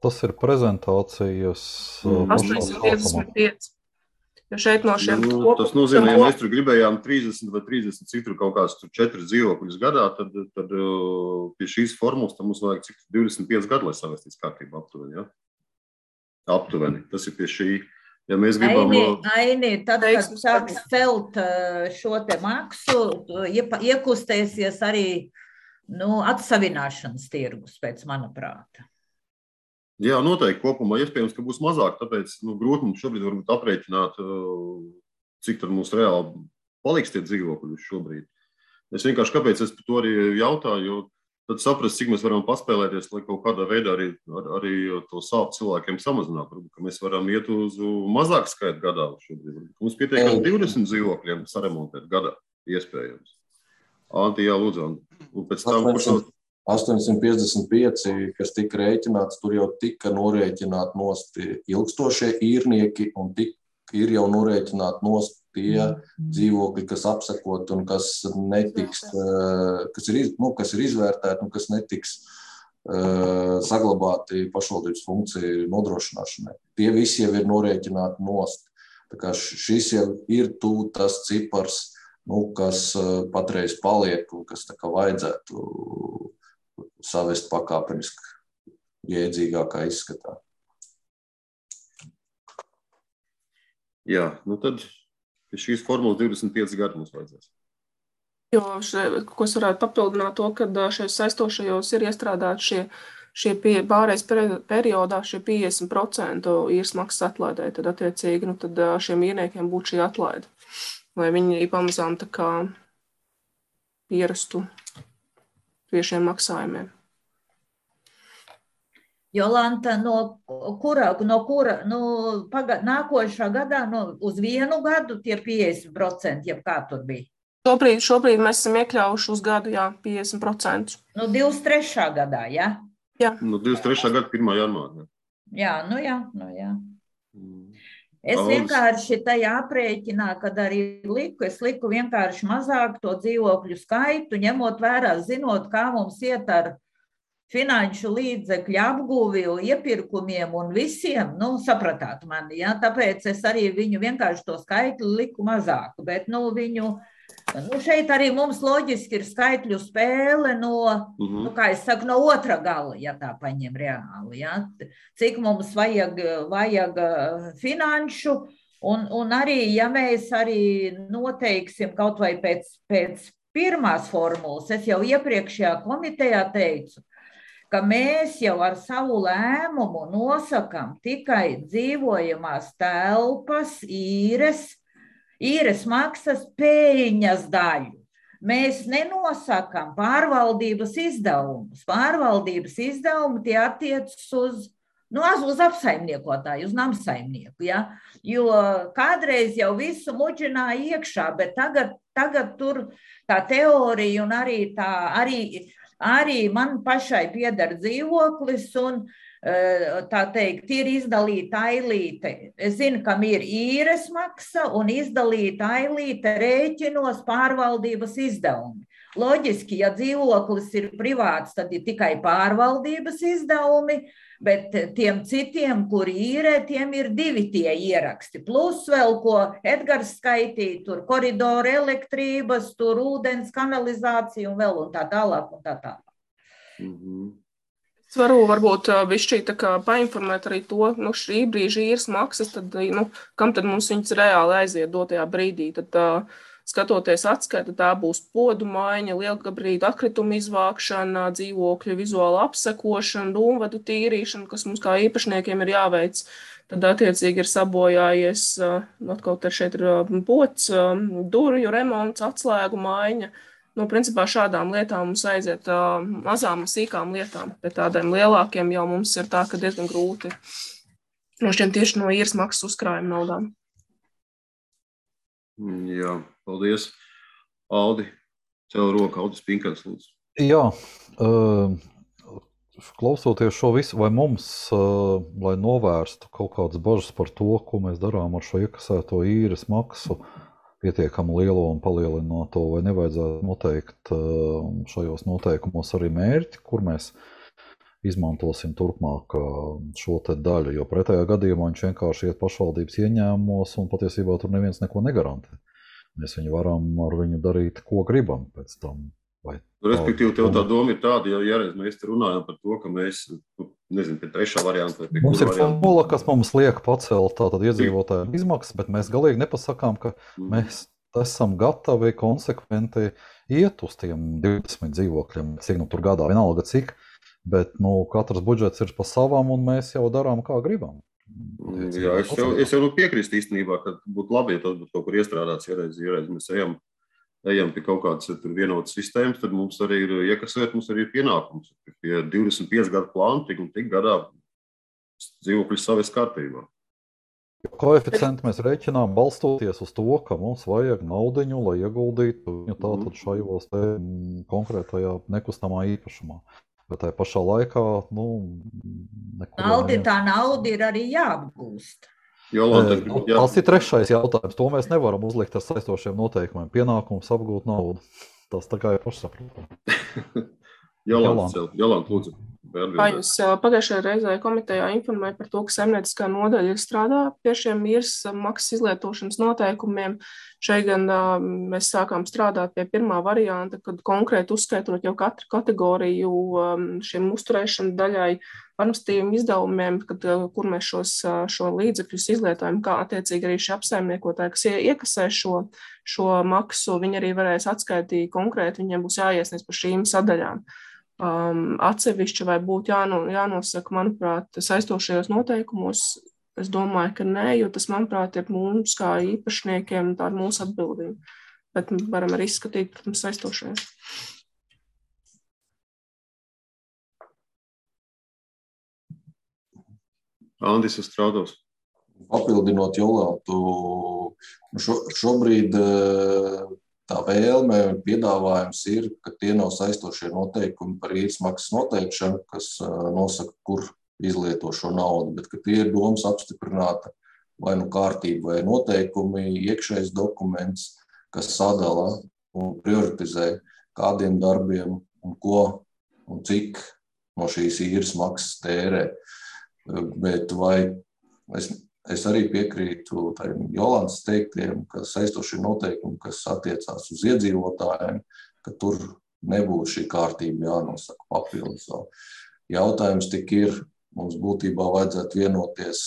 Tas ir prezentācijas astoņsimt piecdesmit pieci. Jo šeit no šiem nu, tas nozīmē, ja mēs tur gribējām trīsdesmit vai trīsdesmit, cik tur kaut kāds tur četri dzīvokļus gadā, tad, tad pie šīs formulas tam mums vajag cik divdesmit pieci gadi, lai savestīs kārtību aptuveni, ja? Aptuveni, tas ir pie šī. Ja mēs gribam... Aini, Aini, tad, kad sāks celt šo te maksu, iekustēsies arī nu, atsavināšanas tirgus, pēc mana prāta. Jā, noteikti kopumā iespējams, ka būs mazāk, tāpēc nu, grūti mums šobrīd varbūt aprēķināt, cik tad mums reāli paliks tie dzīvokļi šobrīd. Es vienkārši kāpēc es par to arī jautāju, jo tad saprast, cik mēs varam paspēlēties, lai kaut kādā veidā arī, ar, arī to sāpu cilvēkiem samazināt. Varbūt, ka mēs varam iet uz mazāk skaitu gadā šobrīd. Mums pietiek ar divdesmit dzīvokļiem saremontēt gadā, iespējams. Anti, jā, lūdzu. Un pēc tam, astoņsimt piecdesmit pieci, kas tika rēķināts, tur jau tika norēķināti nost ilgstošie īrnieki un tik, ir jau norēķināti nost tie dzīvokļi, kas apsakot un kas netiks, kas ir, nu, kas ir izvērtēti un kas netiks saglabāti pašvaldības funkciju nodrošināšanai. Tie visi jau ir norēķināti nost. Tā kā šis jau ir tū tas cipars, nu, kas patreiz paliek un kas tā kā vajadzētu savest pakāpeniski jēdzīgākā izskatā. Jā, nu tad šīs formulas divdesmit pieci gadi mums vajadzēs. Jo, še, ko es varētu papildināt to, ka šajos saistošajos ir iestrādāti šie, šie pie, pārējais periodā šie piecdesmit procenti īres maksas atlaidē, tad attiecīgi, nu, tad šiem īrniekiem būtu šī atlaide, lai viņi pamazām tā kā pierastu pie šiem maksājumiem. Jolanta, no kura, no kura, nu, paga, nākošā gadā, no, uz vienu gadu tie piecdesmit procenti, jeb kā tur bija? Šobrīd, šobrīd mēs esam iekļaujuši uz gadu, jā, piecdesmit procenti. Nu, divdesmit trešā gadā, jā? Jā. Nu, divdesmit trešā gada pirmā janvārā. Jā, nu jā, nu jā. Es vienkārši tajā aprēķinā, kad arī liku, es liku vienkārši mazāk to dzīvokļu skaitu, ņemot vērā, zinot, kā mums iet ar finanšu līdzekļu apguvi, iepirkumiem un visiem, nu, sapratāt mani, ja? Tāpēc es arī viņu vienkārši to skaitli liku mazāku, bet, nu, viņu, nu, šeit arī mums loģiski ir skaitļu spēle no, uh-huh. nu, kā es saku, no otra gala, ja tā paņem reāli, ja? Cik mums vajag, vajag finanšu, un, un arī, ja mēs arī noteiksim kaut vai pēc, pēc pirmās formulas, es jau iepriekšējā komitejā teicu, ka mēs jau ar savu lēmumu nosakam tikai dzīvojamās telpas, īres, īres maksas peļņas daļu. Mēs nenosakam pārvaldības izdevumus. Pārvaldības izdevumi tie attiecas uz, nu, uz apsaimniekotāju, uz namsaimnieku, ja? Jo kādreiz jau visu muģināja iekšā, bet tagad, tagad tur tā teorija un arī tā, arī Arī man pašai pieder dzīvoklis un, tā teikt, ir izdalīta ailīte. Es zinu, kam ir īres maksa un izdalīta ailīte rēķinos pārvaldības izdevumi. Loģiski, ja dzīvoklis ir privāts, tad ir tikai pārvaldības izdevumi, bet tiem citiem, kuri īrē, tiem ir divi tie ieraksti. Plus vēl, ko Edgars skaitīja, tur koridori elektrības, tur ūdens kanalizācija un vēl un tā tālāk un tā tālāk. Mm-hmm. Es varu varbūt bišķīt tā kā painformēt arī to, nu, šī brīža īres maksas, tad, nu, kam tad mums viņas reāli aiziet dotajā brīdī, tad uh, skatoties atskaita, tā būs podu maiņa, lielgabarītu atkritumu izvākšana, dzīvokļu vizuāla apsekošana, dūmvadu tīrīšana, kas mums kā īpašniekiem ir jāveic. Tad attiecīgi ir sabojājies, atkal te šeit ir pods, durvju remonts, atslēgu maiņa. Nu, principā šādām lietām mums aiziet mazām, sīkām lietām, bet tādiem lielākiem jau mums ir tā, ka diezgan grūti nošķirt tieši no īres maksas uzkrājuma naudām. Jā, paldies. Aldi, ceļ roku, Aldis Pinkans, lūdzu. Jā, klausoties šo visu, vai mums, lai novērstu kaut kādas bažas par to, ko mēs darām ar šo iekasēto īres maksu, pietiekami lielo un palielināto, vai nevajadzētu noteikt šajos noteikumos arī mērķi, kur mēs izmantosim turpmāk šo te daļu, jo pretējā gadījumā viņš vienkārši iet pašvaldības ieņēmumos un patiesībā tur neviens neko negarantē. Mēs viņu varam ar viņu darīt, ko gribam pēc tam. Vai Respektīvi, tev tā doma ir tāda, ja jāreiz mēs te runājam par to, ka mēs, nezinu, pie trešā varianta vai pie mums ir varianta. formula, kas mums liek pacelt tātad iedzīvotājiem izmaksas, bet mēs galīgi nepasakām, ka mm. mēs esam gatavi konsekventi iet uz tiem divdesmit dzīvokļiem, cik nu tur gadā, vienalga cik, bet nu, katrs budžets ir pa savām, un mēs jau darām, kā gribam. Jā, es jau, es jau nu piekrīstu īstenībā, ka būtu labi, ja tas būtu kaut kur iestrādāts, ja reiz, ja reiz mēs ejam, ejam pie kaut kādas vienotas sistēmas, tad mums arī ir iekasēt, mums arī ir pienākums. Pie divdesmit pieci gadu plānu, tik un tik gadā dzīvokļus savas kārtībā. Koeficientu mēs rēķinām balstoties uz to, ka mums vajag naudiņu, lai ieguldītu viņu tātad šajos te konkrētajā nekustamā īpašumā. Bet tajā pašā laikā, nu, Aldi, tā nauda ir arī jāapgūst. Jolanta, e, jā. Tas ir trešais jautājums. To mēs nevaram uzlikt ar saistošiem noteikumiem. Pienākums apgūt naudu. Tas tā kā ir pašsaprotami. Jolanta, Jolanta, lūdzu. Kā jūs pagājušajā reizē komitejā informēja par to, ka saimnieciskā nodaļa ir strādā pie šiem īres maksas izlietošanas noteikumiem. Šeit gan mēs sākām strādāt pie pirmā varianta, kad konkrēti uzskaitot jau katru kategoriju šiem uzturēšana daļai administratīviem izdevumiem, kad, kur mēs šos, šo līdzekļus izlietojam, kā attiecīgi arī šie apsaimniekotāji, kas iekasē šo, šo maksu, viņi arī varēs atskaitīt konkrēti, viņiem būs jāiesniedz par šīm sadaļām. Um, atsevišķi vai būtu jāno, jānosaka, manuprāt, saistošajos noteikumos, es domāju, ka nē, jo tas, manuprāt, ir mums kā īpašniekiem, tā ir mūsu atbildība, bet varam arī izskatīt, protams, saistošajos. Andis Strādos. Papildinot Jolantu, šo, šobrīd tā vēlme un piedāvājums ir, ka tie nav saistošie noteikumi par īres maksas noteikšanu, kas nosaka, kur izlieto šo naudu, bet ka tie ir domas apstiprināta vai nu kārtība vai noteikumi, iekšējs dokuments, kas sadala un prioritizē, kādiem darbiem un ko un cik no šīs īres maksas tērē. Bet vai es, es arī piekrītu Jolantas teiktiem, ka saistošie noteikumi, kas attiecās uz iedzīvotājiem, ka tur nebūtu šī kārtība jānosaka papildus. Jautājums tik ir, mums būtībā vajadzētu vienoties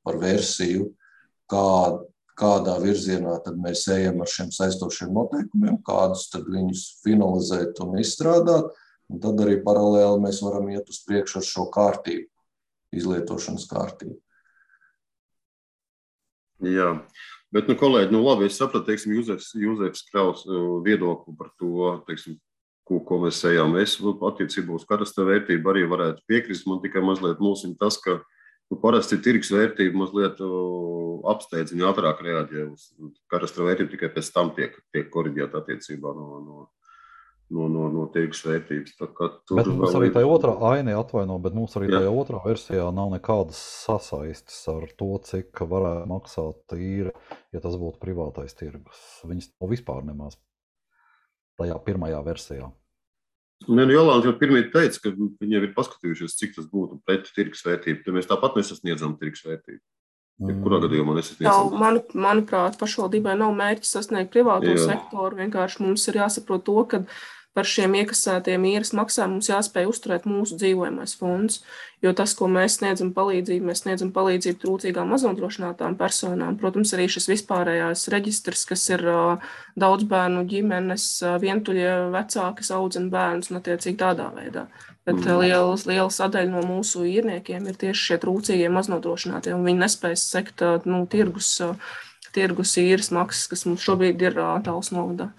par versiju, kā, kādā virzienā tad mēs ejam ar šiem saistošiem noteikumiem, kādus tad viņus finalizēt un izstrādāt, un tad arī paralēli mēs varam iet uz priekšu ar šo kārtību, izlietošanas kārtību. Jā, bet, nu, kolēģi, nu, labi, es sapratu, teiksim, Jūzefs, Jūzefs Kraus viedokli par to, teiksim, ko, ko mēs ejam. Es attiecībā uz karasta vērtību arī varētu piekrist, man tikai mazliet mulsina tas, ka nu, parasti tirgus vērtība mazliet apsteidzina ātrāk reaģē uz karasta vērtību, tikai pēc tam tiek, tiek koriģēta attiecībā no, no, no, no, no tirgus vērtības. Tā kā tur bet mums arī tajā otrā aini atvaino, bet mums arī Jā. tajā otrā versijā nav nekādas sasaistes ar to, cik varētu maksāt īre, ja tas būtu privātais tirgus. Viņas to vispār nemaz tajā pirmajā versijā. Nē, nu, Jolanta jau pirmīt teica, ka viņi jau ir paskatījušies, cik tas būtu pret tirgus vērtību. Tad mēs tāpat nesasniedzam tirgus vērtību. Ja kurā gadījumā nesasniedzam? Jā, man, manuprāt, pašvaldībai nav mērķis sasniegt privāto Jā. sektoru. Vienkārši mums ir jāsaprot to, ka par šiem iekasētiem īres maksām mums jāspēj uzturēt mūsu dzīvojamais fonds, jo tas, ko mēs sniedzam palīdzību, mēs sniedzam palīdzību trūcīgām maznodrošinātām personām. Protams, arī šis vispārējās reģistrs, kas ir uh, daudz bērnu ģimenes, uh, vientuļie vecāki audzina bērnus un attiecīgi tādā veidā. Bet mm. liela, liela sadaļa no mūsu īrniekiem ir tieši šie trūcīgie maznodrošinātie, un viņi nespējas sekt uh, nu, tirgus, uh, tirgus īres maksas, kas mums šobrīd ir uh, Tāls novadā.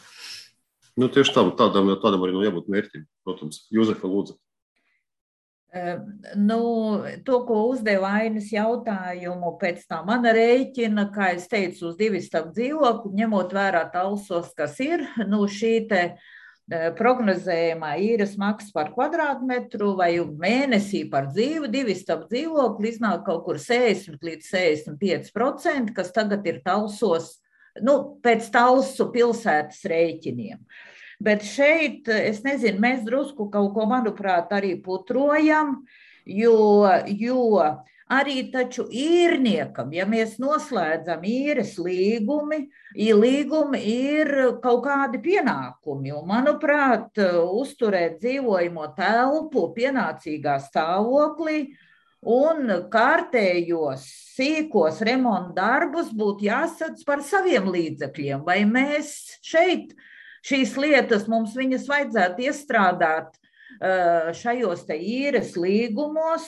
Nu, tieši tā, tādam, tādam arī nav jābūt mērķim, protams. Jūzefa, lūdzu. Nu, to, ko uzdeva Ainis jautājumu, pēc tā mana rēķina, kā es teicu, uz divistabu dzīvokli, ņemot vērā Talsos, kas ir, nu, šī te prognozējumā īres maksa par kvadrātmetru vai mēnesī par dzīvu, divistabu dzīvokli iznāk kaut kur sešdesmit līdz sešdesmit pieci procenti, kas tagad ir Talsos, nu, pēc Talsu pilsētas rēķiniem. Bet šeit, es nezinu, mēs drusku kaut ko, manuprāt, arī putrojam, jo, jo arī taču īrniekam, ja mēs noslēdzam īres līgumi, līgumi ir kaut kādi pienākumi. Un, manuprāt, uzturēt dzīvojamo telpu pienācīgā stāvoklī un kārtējos sīkos remonta darbus būtu jāsadz par saviem līdzekļiem. Vai mēs šeit šīs lietas, mums viņas vajadzētu iestrādāt šajos te īres līgumos,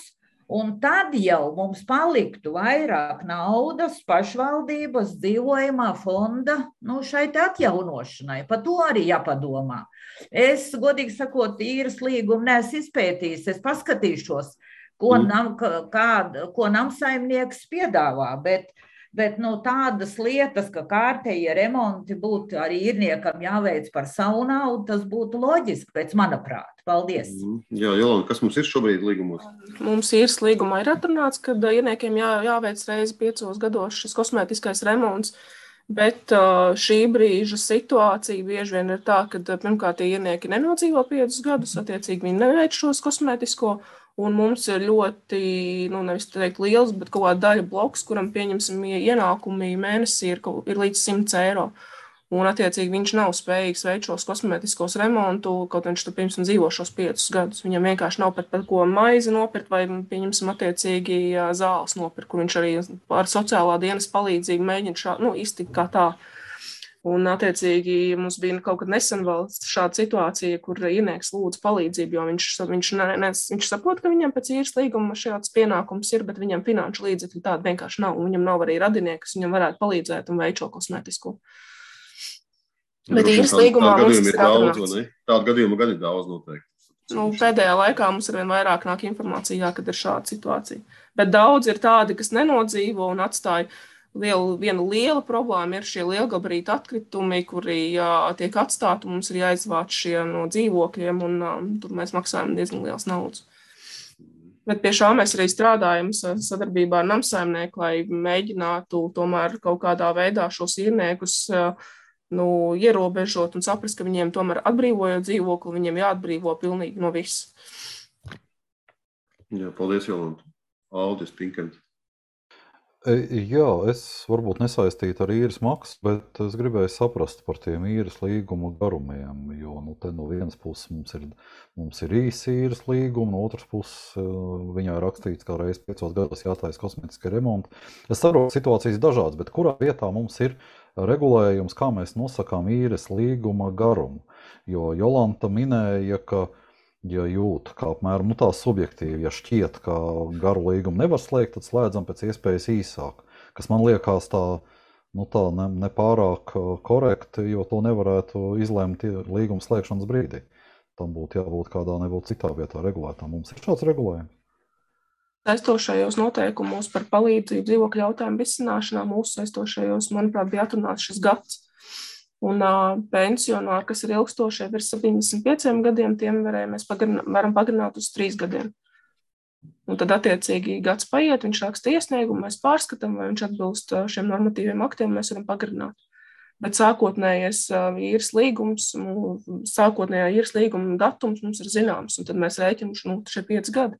un tad jau mums paliktu vairāk naudas pašvaldības dzīvojamā fonda, nu, šai te atjaunošanai. Par to arī jāpadomā. Es, godīgi sakot, īres līgumu neesmu izpētījis, es paskatīšos, ko, mm. nam, kā, ko namsaimnieks piedāvā, bet, bet nu, tādas lietas, ka kārtējie remonti būtu arī īrniekam jāveic par savu naudu, tas būtu loģiski, pēc mana prāta. Paldies. Mm. Jā, Jolanta, kas mums ir šobrīd līgumos? Mums īres līgumā ir atrunāts, ka īrniekiem jā, jāveic reizi piecos gados šis kosmētiskais remonts. Bet šī brīža situācija bieži vien ir tā, ka pirmkārt tie īrnieki nenodzīvo piecus gadus, attiecīgi viņi neveic šos kosmētisko, un mums ir ļoti, nu nevis teikt liels, bet kaut kāda daļa bloks, kuram pieņemsim ienākumi mēnesī ir, ir līdz simts eiro. Un, attiecīgi, viņš nav spējīgs veikt šos kosmētiskos remontu, kaut viņš tur, piemēram, dzīvo šos piecus gadus. Viņam vienkārši nav pat par ko maizi nopirkt vai, pieņemsim, attiecīgi zāles nopirkt, kur viņš arī ar sociālā dienas palīdzību mēģina šā, nu, iztikt kā tā. Un, attiecīgi, mums bija kaut kad nesen vēl šāda situācija, kur īrnieks lūdz palīdzību, jo viņš, viņš, ne, ne, viņš saprot, ka viņam pēc īres līguma šāds pienākums ir, bet viņam finanšu līdzekļi tādi vienkārši nav. Un viņam nav arī radinieki, kas viņam varētu palīdzēt un veikt šo kosmētisko. Bet īres līgumā mums ir daudz, vai ne? Tādu gadījumu gan ir daudz noteikti. Nu, pēdējā laikā mums arvien vairāk nāk informācija, kad ir šāda situācija. Bet daudz ir tādi, kas nenodzīvo un atstāja lielu, viena liela problēma ir šie lielgabarīti atkritumi, kuri jā, tiek atstāti, un mums ir jāizvāc šie no dzīvokļiem, un um, tur mēs maksājam diezgan liels naudas. Bet pie šā mēs arī strādājam sadarbībā ar namsaimnieku, lai mēģinātu tomēr kaut kādā veidā šos īrniekus nu, ierobežot un saprast, ka viņiem tomēr atbrīvojot dzīvokli, viņiem jāatbrīvo pilnīgi no viss. Jā, paldies, Jolanta. Aldis Pinkants. Jā, es varbūt nesaistītu ar īres maksu, bet es gribēju saprast par tiem īres līgumu garumiem, jo nu, te no vienas puses mums ir, mums ir īsi īres līgumi, no otras puses viņā ir rakstīts, kā reiz piecos gados jātaisa kosmētiski remonti. Es saprotu situācijas dažādas, bet kurā vietā mums ir regulējums, kā mēs nosakām īres līguma garumu, jo Jolanta minēja, ka ja jūt, kā apmēram, nu tā subjektīvi, ja šķiet, ka garu līgumu nevar slēgt, tad slēdzam pēc iespējas īsāk, kas man liekas tā, nu tā ne, ne pārāk korekti, jo to nevarētu izlēmt līguma slēgšanas brīdī. Tam būtu jābūt kādā nebūtu citā vietā regulētām. Mums ir šāds regulējums. Saistošajos noteikumos par palīdzību dzīvokļu jautājumu risināšanā mūsu saistošajos, manuprāt, bija atrunāts šis gads. Un uh, pensionāri, kas ir ilgstošie virs septiņdesmit pieciem gadiem, tiem varēja, mēs pagarināt, varam pagarināt uz trīs gadiem. Un tad attiecīgi gads paiet, viņš raksta iesniegumu, mēs pārskatām, vai viņš atbilst šiem normatīviem aktiem, mēs varam pagarināt. Bet sākotnējais uh, īres līgums, sākotnējā īres līguma datums mums ir zināms, un tad mēs rēķinām, nu, šie pieci gadi.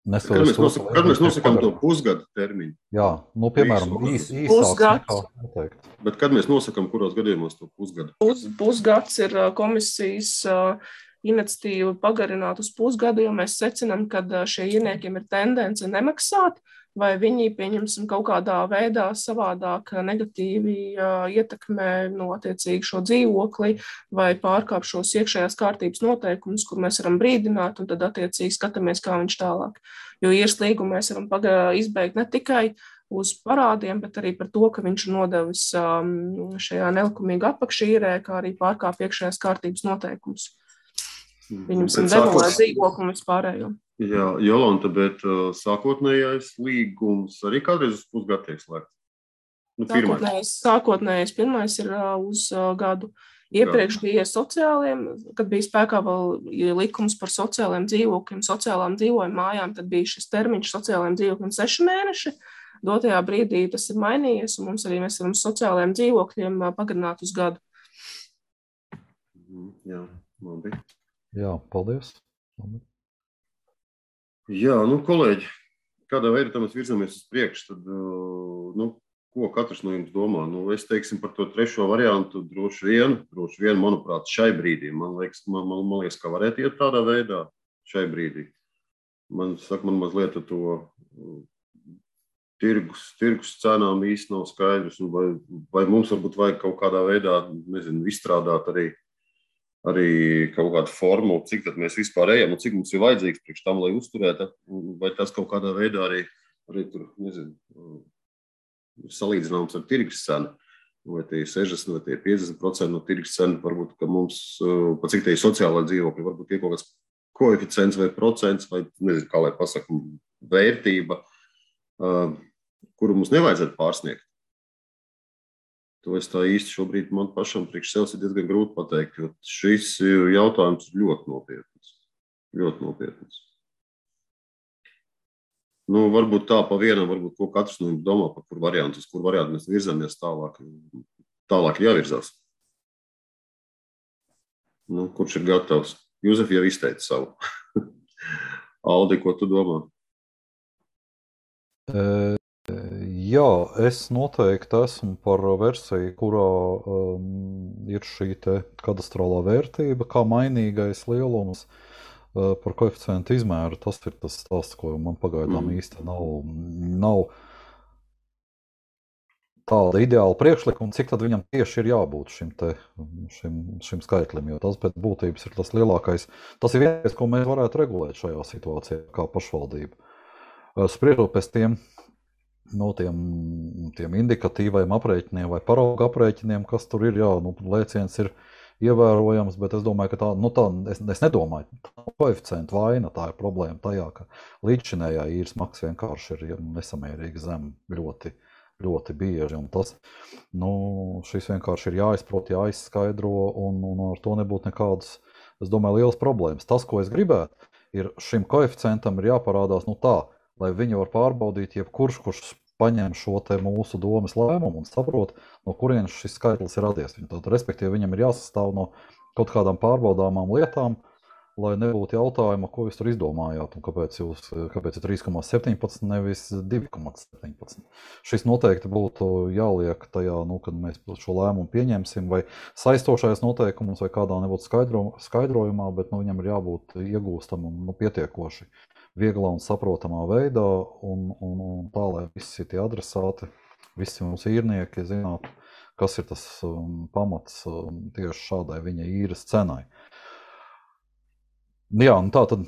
Kad mēs, nosakam, kad mēs nosakām to pusgadu termiņu? Jā, nu, piemēram, īs, īsāks nekā. Bet kad mēs nosakām, kuros gadījumos to pusgadu? Pus, pusgads ir komisijas uh, iniciatīva pagarināt uz pusgadu, jo mēs secinām, ka šie īrniekiem ir tendence nemaksāt, vai viņi, pieņemsim, kaut kādā veidā savādāk negatīvi uh, ietekmē no attiecīgi šo dzīvokli vai pārkāp šos iekšējās kārtības noteikumus, kur mēs varam brīdināt un tad attiecīgi skatāmies, kā viņš tālāk. Jo īres līgumu mēs varam paga, izbeigt ne tikai uz parādiem, bet arī par to, ka viņš ir nodevis um, šajā nelikumīga apakšīrē, kā arī pārkāp iekšējās kārtības noteikumus. Viņam ir demolēt dzīvokli un vispārējo. Jā, Jolanta, bet uh, sākotnējais līgums arī kādreiz uz pusgadu tiek slēgts? Nu, sākotnējais, sākotnējais pirmais ir uh, uz uh, gadu. Iepriekš Jā. bija sociāliem, kad bija spēkā vēl likums par sociāliem dzīvokļiem, sociālām dzīvojuma mājām, tad bija šis termiņš sociāliem dzīvokļiem seši mēneši. Dotajā brīdī tas ir mainījies, un mums arī mēs varam sociālajiem dzīvokļiem uh, pagarināt uz gadu. Jā, labi. Jā, paldies. Labi. Jā, nu, kolēģi, kādā veidā mēs virzamies uz priekšu, tad, nu, ko katrs no jums domā? Nu, es teiksim par to trešo variantu droši vien, droši vien, manuprāt, šai brīdī. Man liekas, man, man, man liekas, ka varētu iet tādā veidā šai brīdī. Man saka, man mazliet to tirgus, tirgus cenām īsti nav skaidrs, vai, vai mums varbūt vajag kaut kādā veidā, nezinu, izstrādāt arī arī kaut kādu formulu, cik tad mēs vispār ejam un cik mums ir vajadzīgs priekš tam, lai uzturētu, vai tas kaut kādā veidā arī, arī tur, nezinu, salīdzināms ar tirgus cenu, vai tie ir sešdesmit, vai tie ir piecdesmit procenti no tirgus cenu, varbūt, ka mums, pa cik tie ir sociālai dzīvokļi, varbūt ir kaut kāds koeficients vai procents, vai, nezinu, kā lai pasaka, vērtība, kuru mums nevajadzētu pārsniegt. To es tā īsti šobrīd man pašam priekš sevis ir diezgan grūti pateikt, jo šis jautājums ir ļoti nopietns. Ļoti nopietns. Nu, varbūt tā pa vienam, varbūt ko katrs no jums domā, par kur variantu, uz kur variantu mēs virzamies tālāk. Tālāk jāvirzās. Nu, kurš ir gatavs? Jūzef jau izteica savu. Aldi, ko tu domā? E, jā, es noteikti esmu par versiju, kurā um, ir šī te kadastrālā vērtība, kā mainīgais lielums. Par koeficientu izmēru, tas ir tas stāsts, ko man pagaidām mm. īsti nav, nav tāda ideāla priekšlikuma, cik tad viņam tieši ir jābūt šim, te, šim, šim skaitlim, jo tas pēc būtības ir tas lielākais, tas ir vienais, ko mēs varētu regulēt šajā situācijā kā pašvaldība. Spriežot pēc tiem, no tiem, tiem indikatīvajiem aprēķiniem vai parauga aprēķiniem, kas tur ir, jā, nu, lēciens ir ievērojams, bet es domāju, ka tā, nu tā, es, es nedomāju, tā koeficientu vaina, tā ir problēma tajā, ka līdzšinējā īres maksa vienkārši ir nesamērīgi zem ļoti, ļoti bieži, un tas, nu, šis vienkārši ir jāizprot, jāizskaidro, un, un ar to nebūtu nekādas, es domāju, lielas problēmas. Tas, ko es gribētu, ir šim koeficientam ir jāparādās, nu tā, lai viņi var pārbaudīt, jebkurš, kurš paņem šo te mūsu domas lēmumu un saprot, no kurienes šis skaitlis ir radies. Tad, respektīvi, viņam ir jāsastāv no kaut kādām pārbaudāmām lietām, lai nebūtu jautājuma, ko jūs tur izdomājāt un kāpēc, jūs, kāpēc ir trīs komats septiņpadsmit, nevis divi komats septiņpadsmit. Šis noteikti būtu jāliek tajā, nu, kad mēs šo lēmumu pieņemsim, vai saistošais noteikumus, vai kādā nebūtu skaidro, skaidrojumā, bet nu, viņam ir jābūt iegūstam un nu, pietiekoši vieglā un saprotamā veidā, un, un, un tā, lai visi tie adresāti, visi mums īrnieki zinātu, kas ir tas um, pamats um, tieši šādai viņa īres cenai. Jā, un tā tad,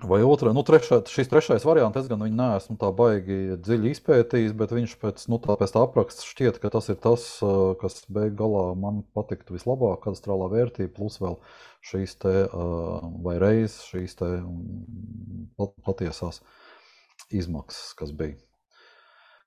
vai otrā, nu trešā, šis trešais variants, es gan viņu neesmu tā baigi dziļi izpētījis, bet viņš pēc, nu tā, pēc tā apraksta šķiet, ka tas ir tas, kas beig galā man patiktu vislabāk, kadastrālā vērtība, plus vēl šīs te, vai reiz šīs te patiesās izmaksas, kas bija,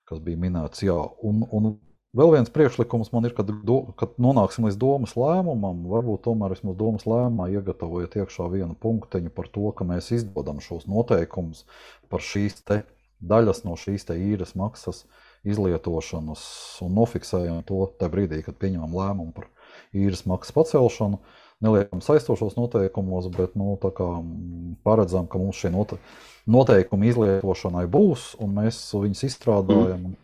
kas bija minēts, jā. Un, un vēl viens priekšlikums man ir, kad, do, kad nonāksim līdz domas lēmumam, varbūt tomēr vismaz domas lēmumā iegatavojot iekšā vienu punkteņu par to, ka mēs izdodam šos noteikumus par šīs te daļas no šīs te īres maksas izlietošanas un nofiksējam to tajā brīdī, kad pieņemam lēmumu par īres maksas pacelšanu. Neliekam saistošos noteikumos, bet nu, tā kā paredzam, ka mums šie note, noteikumi izlietošanai būs, un mēs viņus izstrādājam. Un,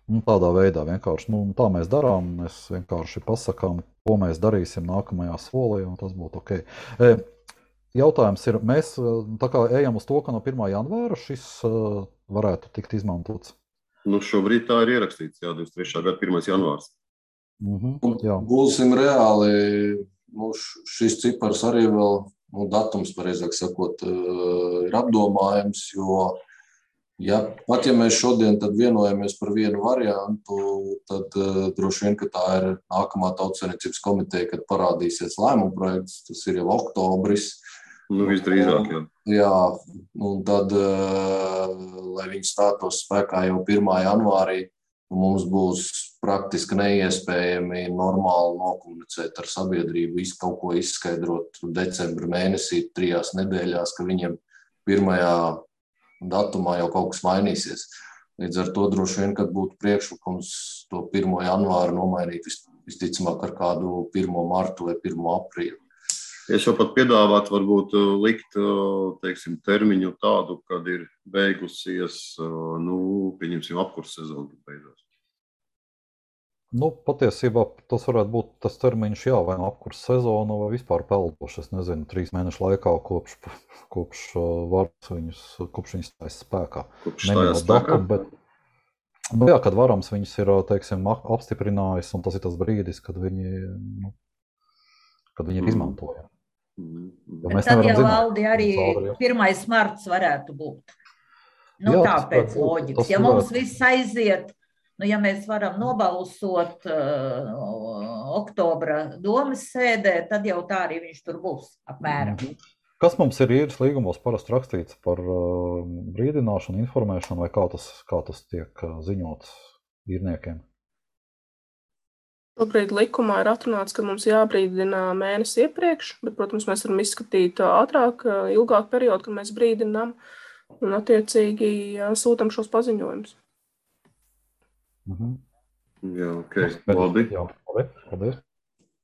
un tādā veidā vienkārši, nu, tā mēs darām, mēs vienkārši pasakām, ko mēs darīsim nākamajā solī, un tas būtu ok. E, jautājums ir, mēs tā kā ejam uz to, ka no pirmā janvāra šis uh, varētu tikt izmantots. Nu, šobrīd tā ir ierakstīts, jā, divdesmit trešā gada pirmais janvārs. Mhm, jā. Būsim reāli. Nu, šis cipars arī vēl, nu, datums, pareizāk sakot, ir apdomājams, jo ja, pat ja mēs šodien tad vienojamies par vienu variantu, tad uh, droši vien, ka tā ir nākamā Tautsaimniecības komiteja, kad parādīsies lēmuma projekts, tas ir jau oktobris. Nu, visdrīzāk, jā. Jā, un tad, uh, lai viņi stātos spēkā jau pirmā janvārī, mums būs praktiski neiespējami normāli nokomunicēt ar sabiedrību, visu kaut ko izskaidrot decembra mēnesī, trijās nedēļās, ka viņiem pirmajā datumā jau kaut kas mainīsies. Līdz ar to droši vien, kad būtu priekšlikums to pirmo janvāru nomainīt visticamāk ar kādu pirmo martu vai pirmo aprīli. Es jau pat piedāvātu varbūt likt, teiksim, termiņu tādu, kad ir beigusies, nu, pieņemsim, apkurss sezonu beidzās. Nu, patiesībā tas varētu būt tas termiņš, jā, vai no apkurss sezona, vai vispār peldoši, es nezinu, trīs mēnešu laikā kopš, kopš varas viņus, kopš viņus stājas spēkā. Kopš stājas spēkā? Datum, bet, nu jā, kad varams viņus ir, teiksim, apstiprinājis, un tas ir tas brīdis, kad viņi, nu, kad viņi ir izmantojami. Mm. Tad jau valdi arī pirmais marts varētu būt. Nu, jā, tāpēc loģikas. Ja mums viss aiziet, nu, ja mēs varam nobalsot uh, oktobra domas sēdē, tad jau tā arī viņš tur būs apmēram. Kas mums ir īres līgumos parasti rakstīts par uh, brīdināšanu, informēšanu, vai kā tas, kā tas tiek uh, ziņots īrniekiem? Šobrīd likumā ir atrunāts, ka mums jābrīdina mēnesi iepriekš, bet, protams, mēs varam izskatīt ātrāk, ilgāk periodu, kad mēs brīdinām. Un attiecīgi sūtam šos paziņojumus. Mhm. Jā, ok. Labi. Jā, labi. Paldies.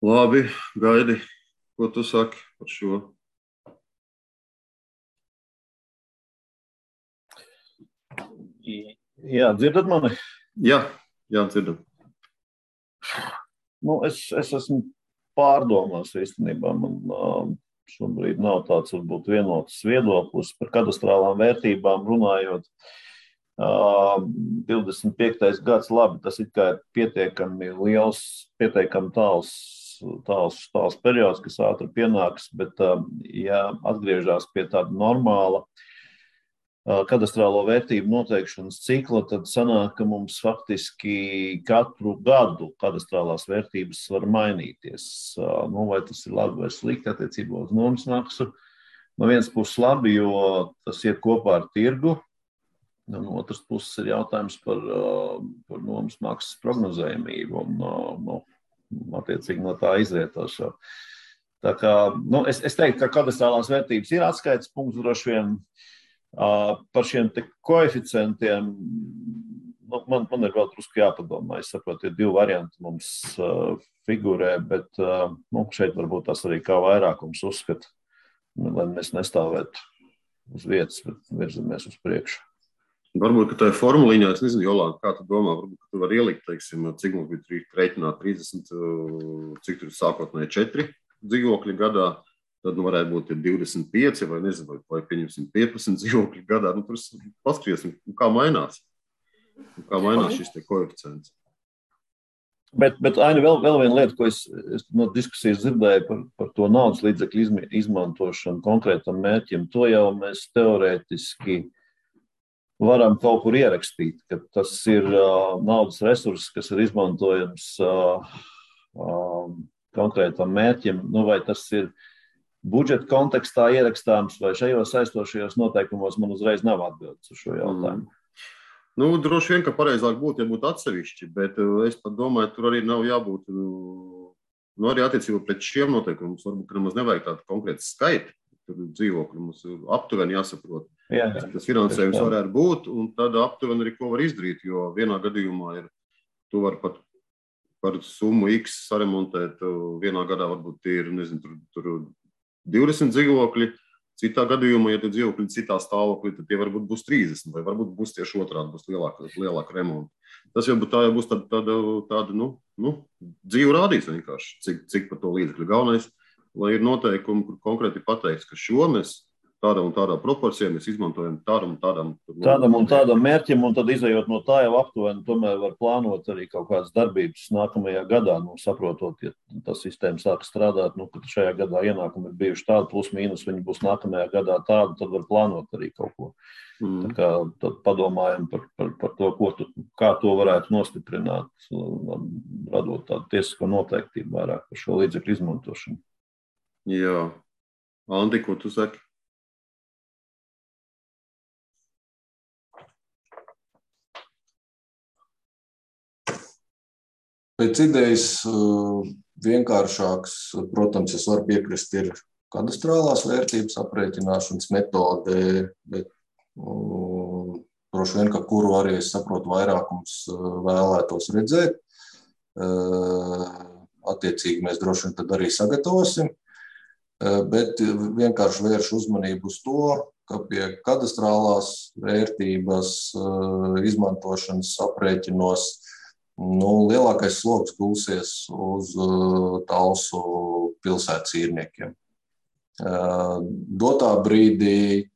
Labi, Gaidi, ko tu saki par šo? Jā, dzirdat mani? Jā, jā, dzirdam. Nu, es, es esmu pārdomās īstenībā. Man šobrīd nav tāds varbūt vienots viedoklis par kadastrālām vērtībām runājot. divdesmit piektais gads, labi, tas it kā ir pietiekami liels, pietiekami tāls, tāls, tāls periods, kas ātri pienāks, bet ja atgriežās pie tāda normāla kadastrālo vērtību noteikšanas cikla, tad sanāk, ka mums faktiski katru gadu kadastrālās vērtības var mainīties. Nu, vai tas ir labi vai slikti attiecībā uz nomas maksu? No vienas puses labi, jo tas iet kopā ar tirgu, un no otras puses ir jautājums par, par nomas maksas prognozējumību un no, attiecīgi no tā izrietošo. Tā kā, nu, es, es teiktu, ka kadastrālās vērtības ir atskaites punkts droši vien. Uh, par šiem te koeficientiem, nu, man, man ir vēl drusku jāpadomā. Es saprotu, ir divi varianti mums uh, figurē, bet uh, nu, šeit varbūt tas arī kā vairākums uzskata, lai mēs nestāvētu uz vietas, bet virzamies uz priekšu. Varbūt, ka tā ir formuliņā, es nezinu, Jolanta, kā tu domā, varbūt, ka tu vari ielikt, teiksim, cik mums bija reiķināt trīsdesmit, cik tur sākotnēji četri dzīvokļi gadā. Tad nu, varētu būt divdesmit pieci vai, nezinu, vai pieņemsim piecpadsmit dzīvokļi gadā. Nu, tur paskatīsim, kā mainās. Kā mainās šis te koeficients. Bet, bet Aini, vēl, vēl viena lieta, ko es, es no diskusijas dzirdēju par, par to naudas līdzekļu izmantošanu konkrētam mērķim, to jau mēs teorētiski varam kaut kur ierakstīt, ka tas ir uh, naudas resurss, kas ir izmantojams uh, uh, konkrētam mērķim, nu vai tas ir budžeta kontekstā ierakstāms vai šajos saistošajos noteikumos, man uzreiz nav atbildes uz šo jautājumu. Mm. Nu, droši vien, ka pareizāk būtu, ja būtu atsevišķi, bet es pat domāju, tur arī nav jābūt, nu, arī attiecībā pret šiem noteikumiem. Varbūt, ka nemaz nevajag tādu konkrētu skaitu, tur dzīvokļu mums aptuveni jāsaprot. Jā, jā. Tas finansējums varētu būt, un tad aptuveni arī ko var izdarīt, jo vienā gadījumā ir, tu var pat par summu X saremontēt, vienā gadā varbūt ir, nezinu, tur, tur divdesmit dzīvokļi, citā gadījumā, ja tie dzīvokļi citā stāvoklī, tad tie varbūt būs trīsdesmit, vai varbūt būs tieši otrādi, būs lielāka, lielāka remonta. Tas jau tā jau būs tāda, tāda, tāda nu, nu, dzīvu rādīs vienkārši, cik, cik par to līdzekļu galvenais, lai ir noteikumi, kur konkrēti pateikts, ka šo mēs tādam un tādā proporcijā mēs izmantojam tādam un tādam. Tādam un tādam mērķim, un tad izējot no tā jau aptuveni, tomēr var plānot arī kaut kādas darbības nākamajā gadā, nu, saprotot, ja tā sistēma sāk strādāt, nu, kad šajā gadā ienākumi ir bijuši tādi, plus mīnus, viņi būs nākamajā gadā tādi, tad var plānot arī kaut ko. Mm. Tā kā tad padomājam par, par, par to, ko tu, kā to varētu nostiprināt, radot tādu tiesisko noteiktību vairāk par šo līdzekļu izmantošanu. Jā. Andi, ko tu saki? Pēc idejas vienkāršāks, protams, es varu piekrist, ir kadastrālās vērtības aprēķināšanas metode, bet um, droši vien, ka kuru arī, es saprotu, vairākums vēlētos redzēt. Uh, attiecīgi mēs droši vien tad arī sagatavosim, uh, bet vienkārši vēršu uzmanību uz to, ka pie kadastrālās vērtības uh, izmantošanas aprēķinos Nu, lielākais sloks gulsies uz uh, Talsu pilsētas īrniekiem. Uh, dotā brīdī,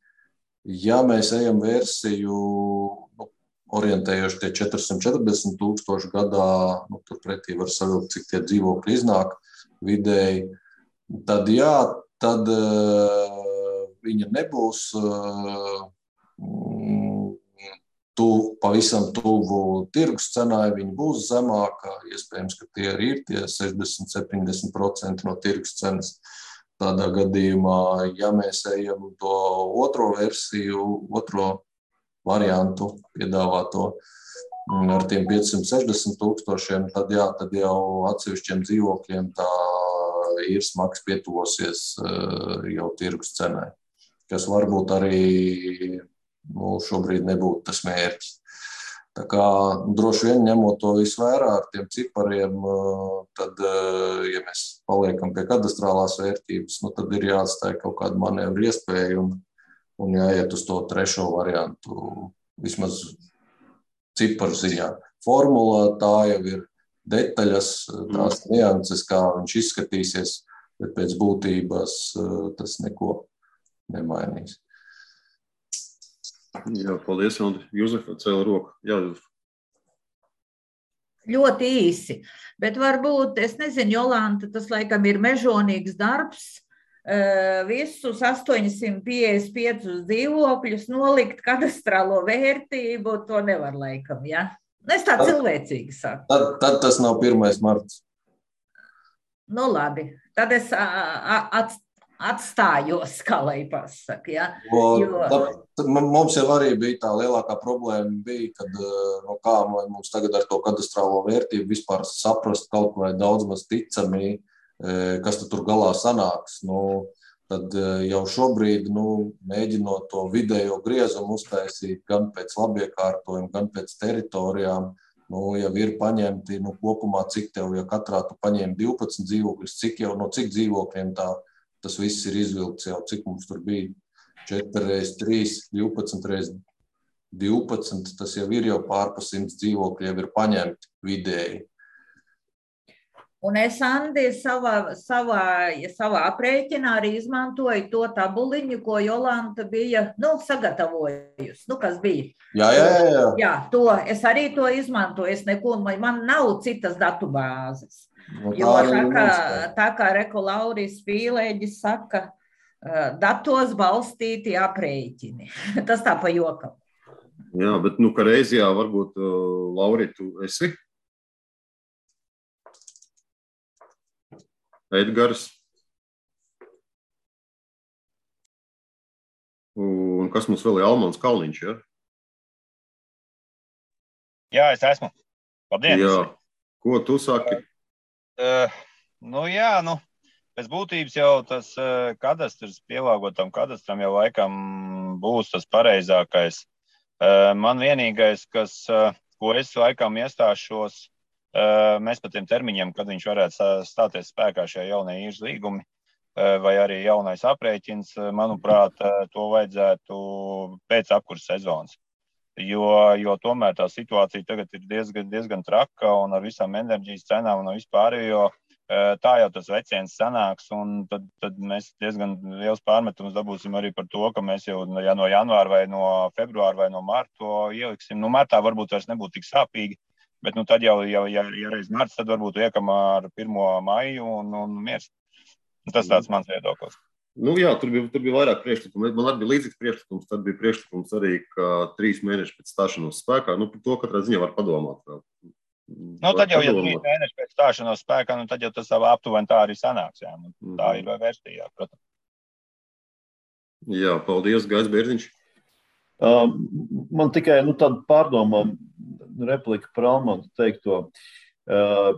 ja mēs ejam versiju, nu, orientējoši tie četrsimt četrdesmit tūkstoši gadā, nu, tur pretī var savilkt, cik tie dzīvokļi iznāk vidēji, tad jā, tad uh, viņa nebūs uh, Tu, pavisam tuvu tirgus cenai, viņi būs zemāka, iespējams, ka tie arī ir tie sešdesmit līdz septiņdesmit procenti no tirgus cenas. Tādā gadījumā, ja mēs ejam to otro versiju, otro variantu piedāvāto ar tiem piecsimt sešdesmit tūkstošiem, tad jā, tad jau atsevišķiem dzīvokļiem tā īres maksa pietuvosies jau tirgus cenai, kas varbūt arī nu, šobrīd nebūtu tas mērķis. Tā kā droši vien ņemot to visu vērā ar tiem cipariem, tad, ja mēs paliekam pie kadastrālās vērtības, nu, tad ir jāatstāja kaut kāda manevra iespēja un, un jāiet uz to trešo variantu, vismaz ciparu ziņā. Formula tā jau ir detaļas, tās nianses, kā viņš izskatīsies, bet pēc būtības tas neko nemainīs. Jā, paldies, Andri. Juzefa cēla roku. Jā, Juzefa. Ļoti īsi, bet varbūt, es nezinu, Jolanta, tas laikam ir mežonīgs darbs, visus astoņsimt piecdesmit piecus dzīvokļus nolikt kadastrālo vērtību, to nevar laikam, ja? Es tā cilvēcīgi saku. Tad, tad tas nav pirmais marts. Nu labi, tad es at, atstājos, kā lai pasaka, ja? Jo... Tā, tā, mums jau arī bija tā lielākā problēma, bija, kad no kā mums tagad ar to kadastrālo vērtību vispār saprast kaut vai daudz maz ticami, kas tur galā sanāks. Nu, tad jau šobrīd, nu, mēģinot to vidējo griezumu uztaisīt gan pēc labiekārtojuma, gan pēc teritorijām, nu, jau ir paņemti, nu, kopumā cik tev, ja katrā tu paņēmi divpadsmit dzīvokļus, cik jau no cik dzīvokļiem tā tas viss ir izvilkts jau, cik mums tur bija četri reiz trīs, divpadsmit reiz divpadsmit, tas jau ir jau pārpa simts dzīvokļi, jau ir paņemti vidēji. Un es, Andi, savā, savā, savā aprēķinā arī izmantoju to tabuliņu, ko Jolanta bija, nu, sagatavojusi, nu, kas bija. Jā, jā, jā. Jā, to, es arī to izmantoju, es neko, man nav citas datubāzes. No jo tā kā, tā kā Reku Lauris Pīlēģis saka, datos balstīti aprēķini. Tas tā pa jokam. Jā, bet nu, ka reizijā varbūt, Lauri, tu esi? Edgars. Un kas mums vēl ir Almans Kalniņš, ja? Jā, es esmu. Labdien! Jā. Ko tu saki? Uh, nu jā, nu, pēc būtības jau tas uh, kadastrs, pielāgotam kadastram jau laikam būs tas pareizākais. Uh, man vienīgais, kas, uh, ko es laikam iestāšos, uh, mēs par tiem termiņiem, kad viņš varētu stāties spēkā šie jaunie īres līgumi, uh, vai arī jaunais aprēķins, uh, manuprāt, uh, to vajadzētu pēc apkurses sezonas. Jo, jo tomēr tā situācija tagad ir diezgan, diezgan traka un ar visām enerģijas cenām un vispārējo, tā jau tas veciens sanāks un tad, tad mēs diezgan liels pārmetums dabūsim arī par to, ka mēs jau ja no janvāra vai no februāra vai no marta to ieliksim. Nu, martā varbūt vairs nebūtu tik sāpīgi, bet nu tad jau, jau ja, ja reiz marts, tad varbūt iekam ar pirmo maiju un, un miers. Tas tāds mans viedoklis. Nu, jā, tur bija, tur bija vairāk priekšlikumu. Man arī bija līdzīgs priekšlikums, tad bija priekšlikums arī, ka trīs mēneši pēc stāšanos spēkā. Nu, par to katrā ziņā var padomāt. Vēl. Nu, tad jau, ja trīs mēneši pēc stāšanos spēkā, nu, tad jau tas aptuveni tā arī sanāks. Jā. Nu, tā ir vērstījā, protams. Jā, paldies, Gais Bērziņš. Uh, man tikai nu, tāda pārdomā replika par Almantu teikto. Uh,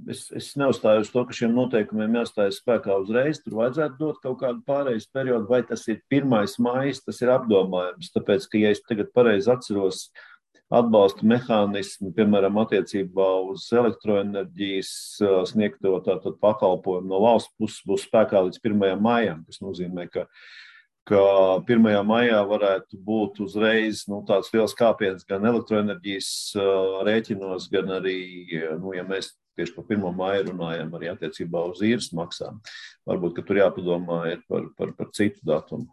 es, es neuzstāju uz to, ka šiem noteikumiem jāstājas spēkā uzreiz. Tur vajadzētu dot kaut kādu pārejas periodu, vai tas ir pirmais maijs, tas ir apdomājums. Tāpēc, ka, ja es tagad pareizi atceros atbalsta mehānismu, piemēram, attiecībā uz elektroenerģijas sniegto tātad pakalpojumu no valsts puses būs spēkā līdz pirmajam maijam, kas nozīmē, ka ka pirmajā maijā varētu būt uzreiz nu, tāds liels kāpiens gan elektroenerģijas uh, rēķinos, gan arī, nu, ja mēs tieši par pirmo maiju runājam, arī attiecībā uz īres maksām. Varbūt, ka tur jāpadomā ir par, par, par citu datumu.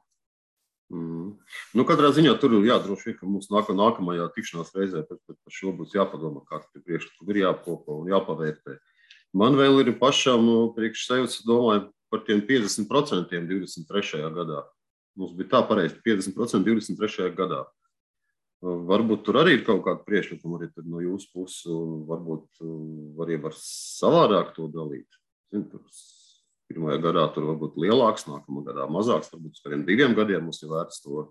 Mm. Nu, katrā ziņā tur jā, droši vien, ka mums nāk, nākamajā tikšanās reizē par, par šo būs jāpadomā, kā tie priekšlikumi ir jāapkopo un jāpavērtē. Man vēl ir pašam priekš sevis, domāju, par tiem piecdesmit procentiem divdesmit trešajā gadā. Mums bija tā pareizi, piecdesmit procenti divdesmit trešajā gadā. Varbūt tur arī ir kaut kāda priekšlikuma arī no jūsu puses, un varbūt arī var savādāk to dalīt. Zin, tur pirmajā gadā tur varbūt lielāks, nākamā gadā mazāks, varbūt uz kādiem diviem gadiem mums ir vērts to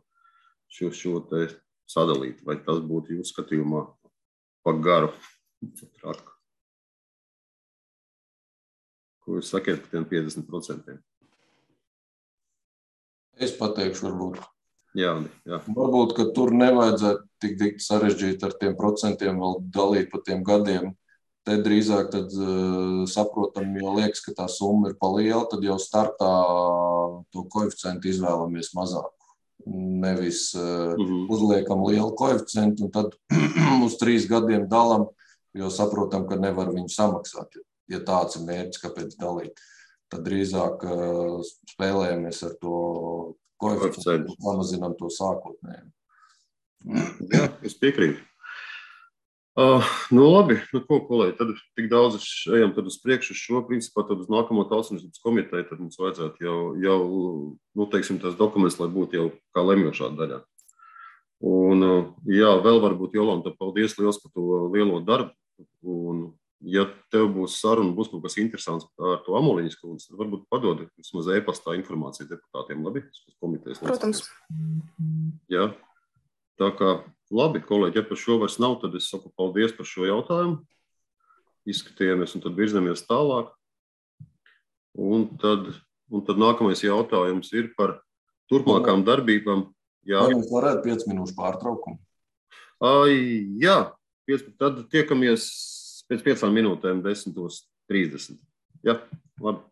šo, šo te sadalīt. Vai tas būtu jūsu skatījumā pa garu? Ko jūs sakiet par tiem piecdesmit procentiem? Es pateikšu, varbūt. Jā, jā. Varbūt, ka tur nevajadzētu tik dikti sarežģīt ar tiem procentiem, vēl dalīt pa tiem gadiem. Te drīzāk tad uh, saprotam, jo liekas, ka tā summa ir paliela, tad jau startā to koeficientu izvēlamies mazāk. Nevis uh, mm-hmm. uzliekam lielu koeficientu un tad uz trīs gadiem dalam, jo saprotam, ka nevar viņu samaksāt. Ja tāds ir mērķis, kāpēc dalīt, tad drīzāk uh, spēlējamies ar to koeficientu un samazinām to sākotnēju. Jā, es piekrītu. Uh, nu labi, nu ko, kolēģi, tad tik daudz ejam tad uz priekšu šo, principā tad uz nākamo Tautsaimniecības komiteju, tad mums vajadzētu jau, jau nu, teiksim, tās dokuments, lai būtu jau kā lemjošā daļā. Un, uh, jā, vēl varbūt, Jolanta, paldies liels par to lielo darbu. Un, ja tev būs saruna, būs kaut kas interesants ar to Amoliņas kundzi, tad varbūt padod vismaz e-pastā informāciju deputātiem, labi? Komitejas Protams. Jā, tā kā labi, kolēģi, ja par šo vairs nav, tad es saku paldies par šo jautājumu. Izskatījāmies un tad virzamies tālāk. Un tad, un tad nākamais jautājums ir par turpmākām darbībām. Jā. Vai mēs varētu piec minūšu pārtraukumu? Ai, jā, piec, tad tiekamies pēc piecām minūtēm desmit trīsdesmit. Jā, labi.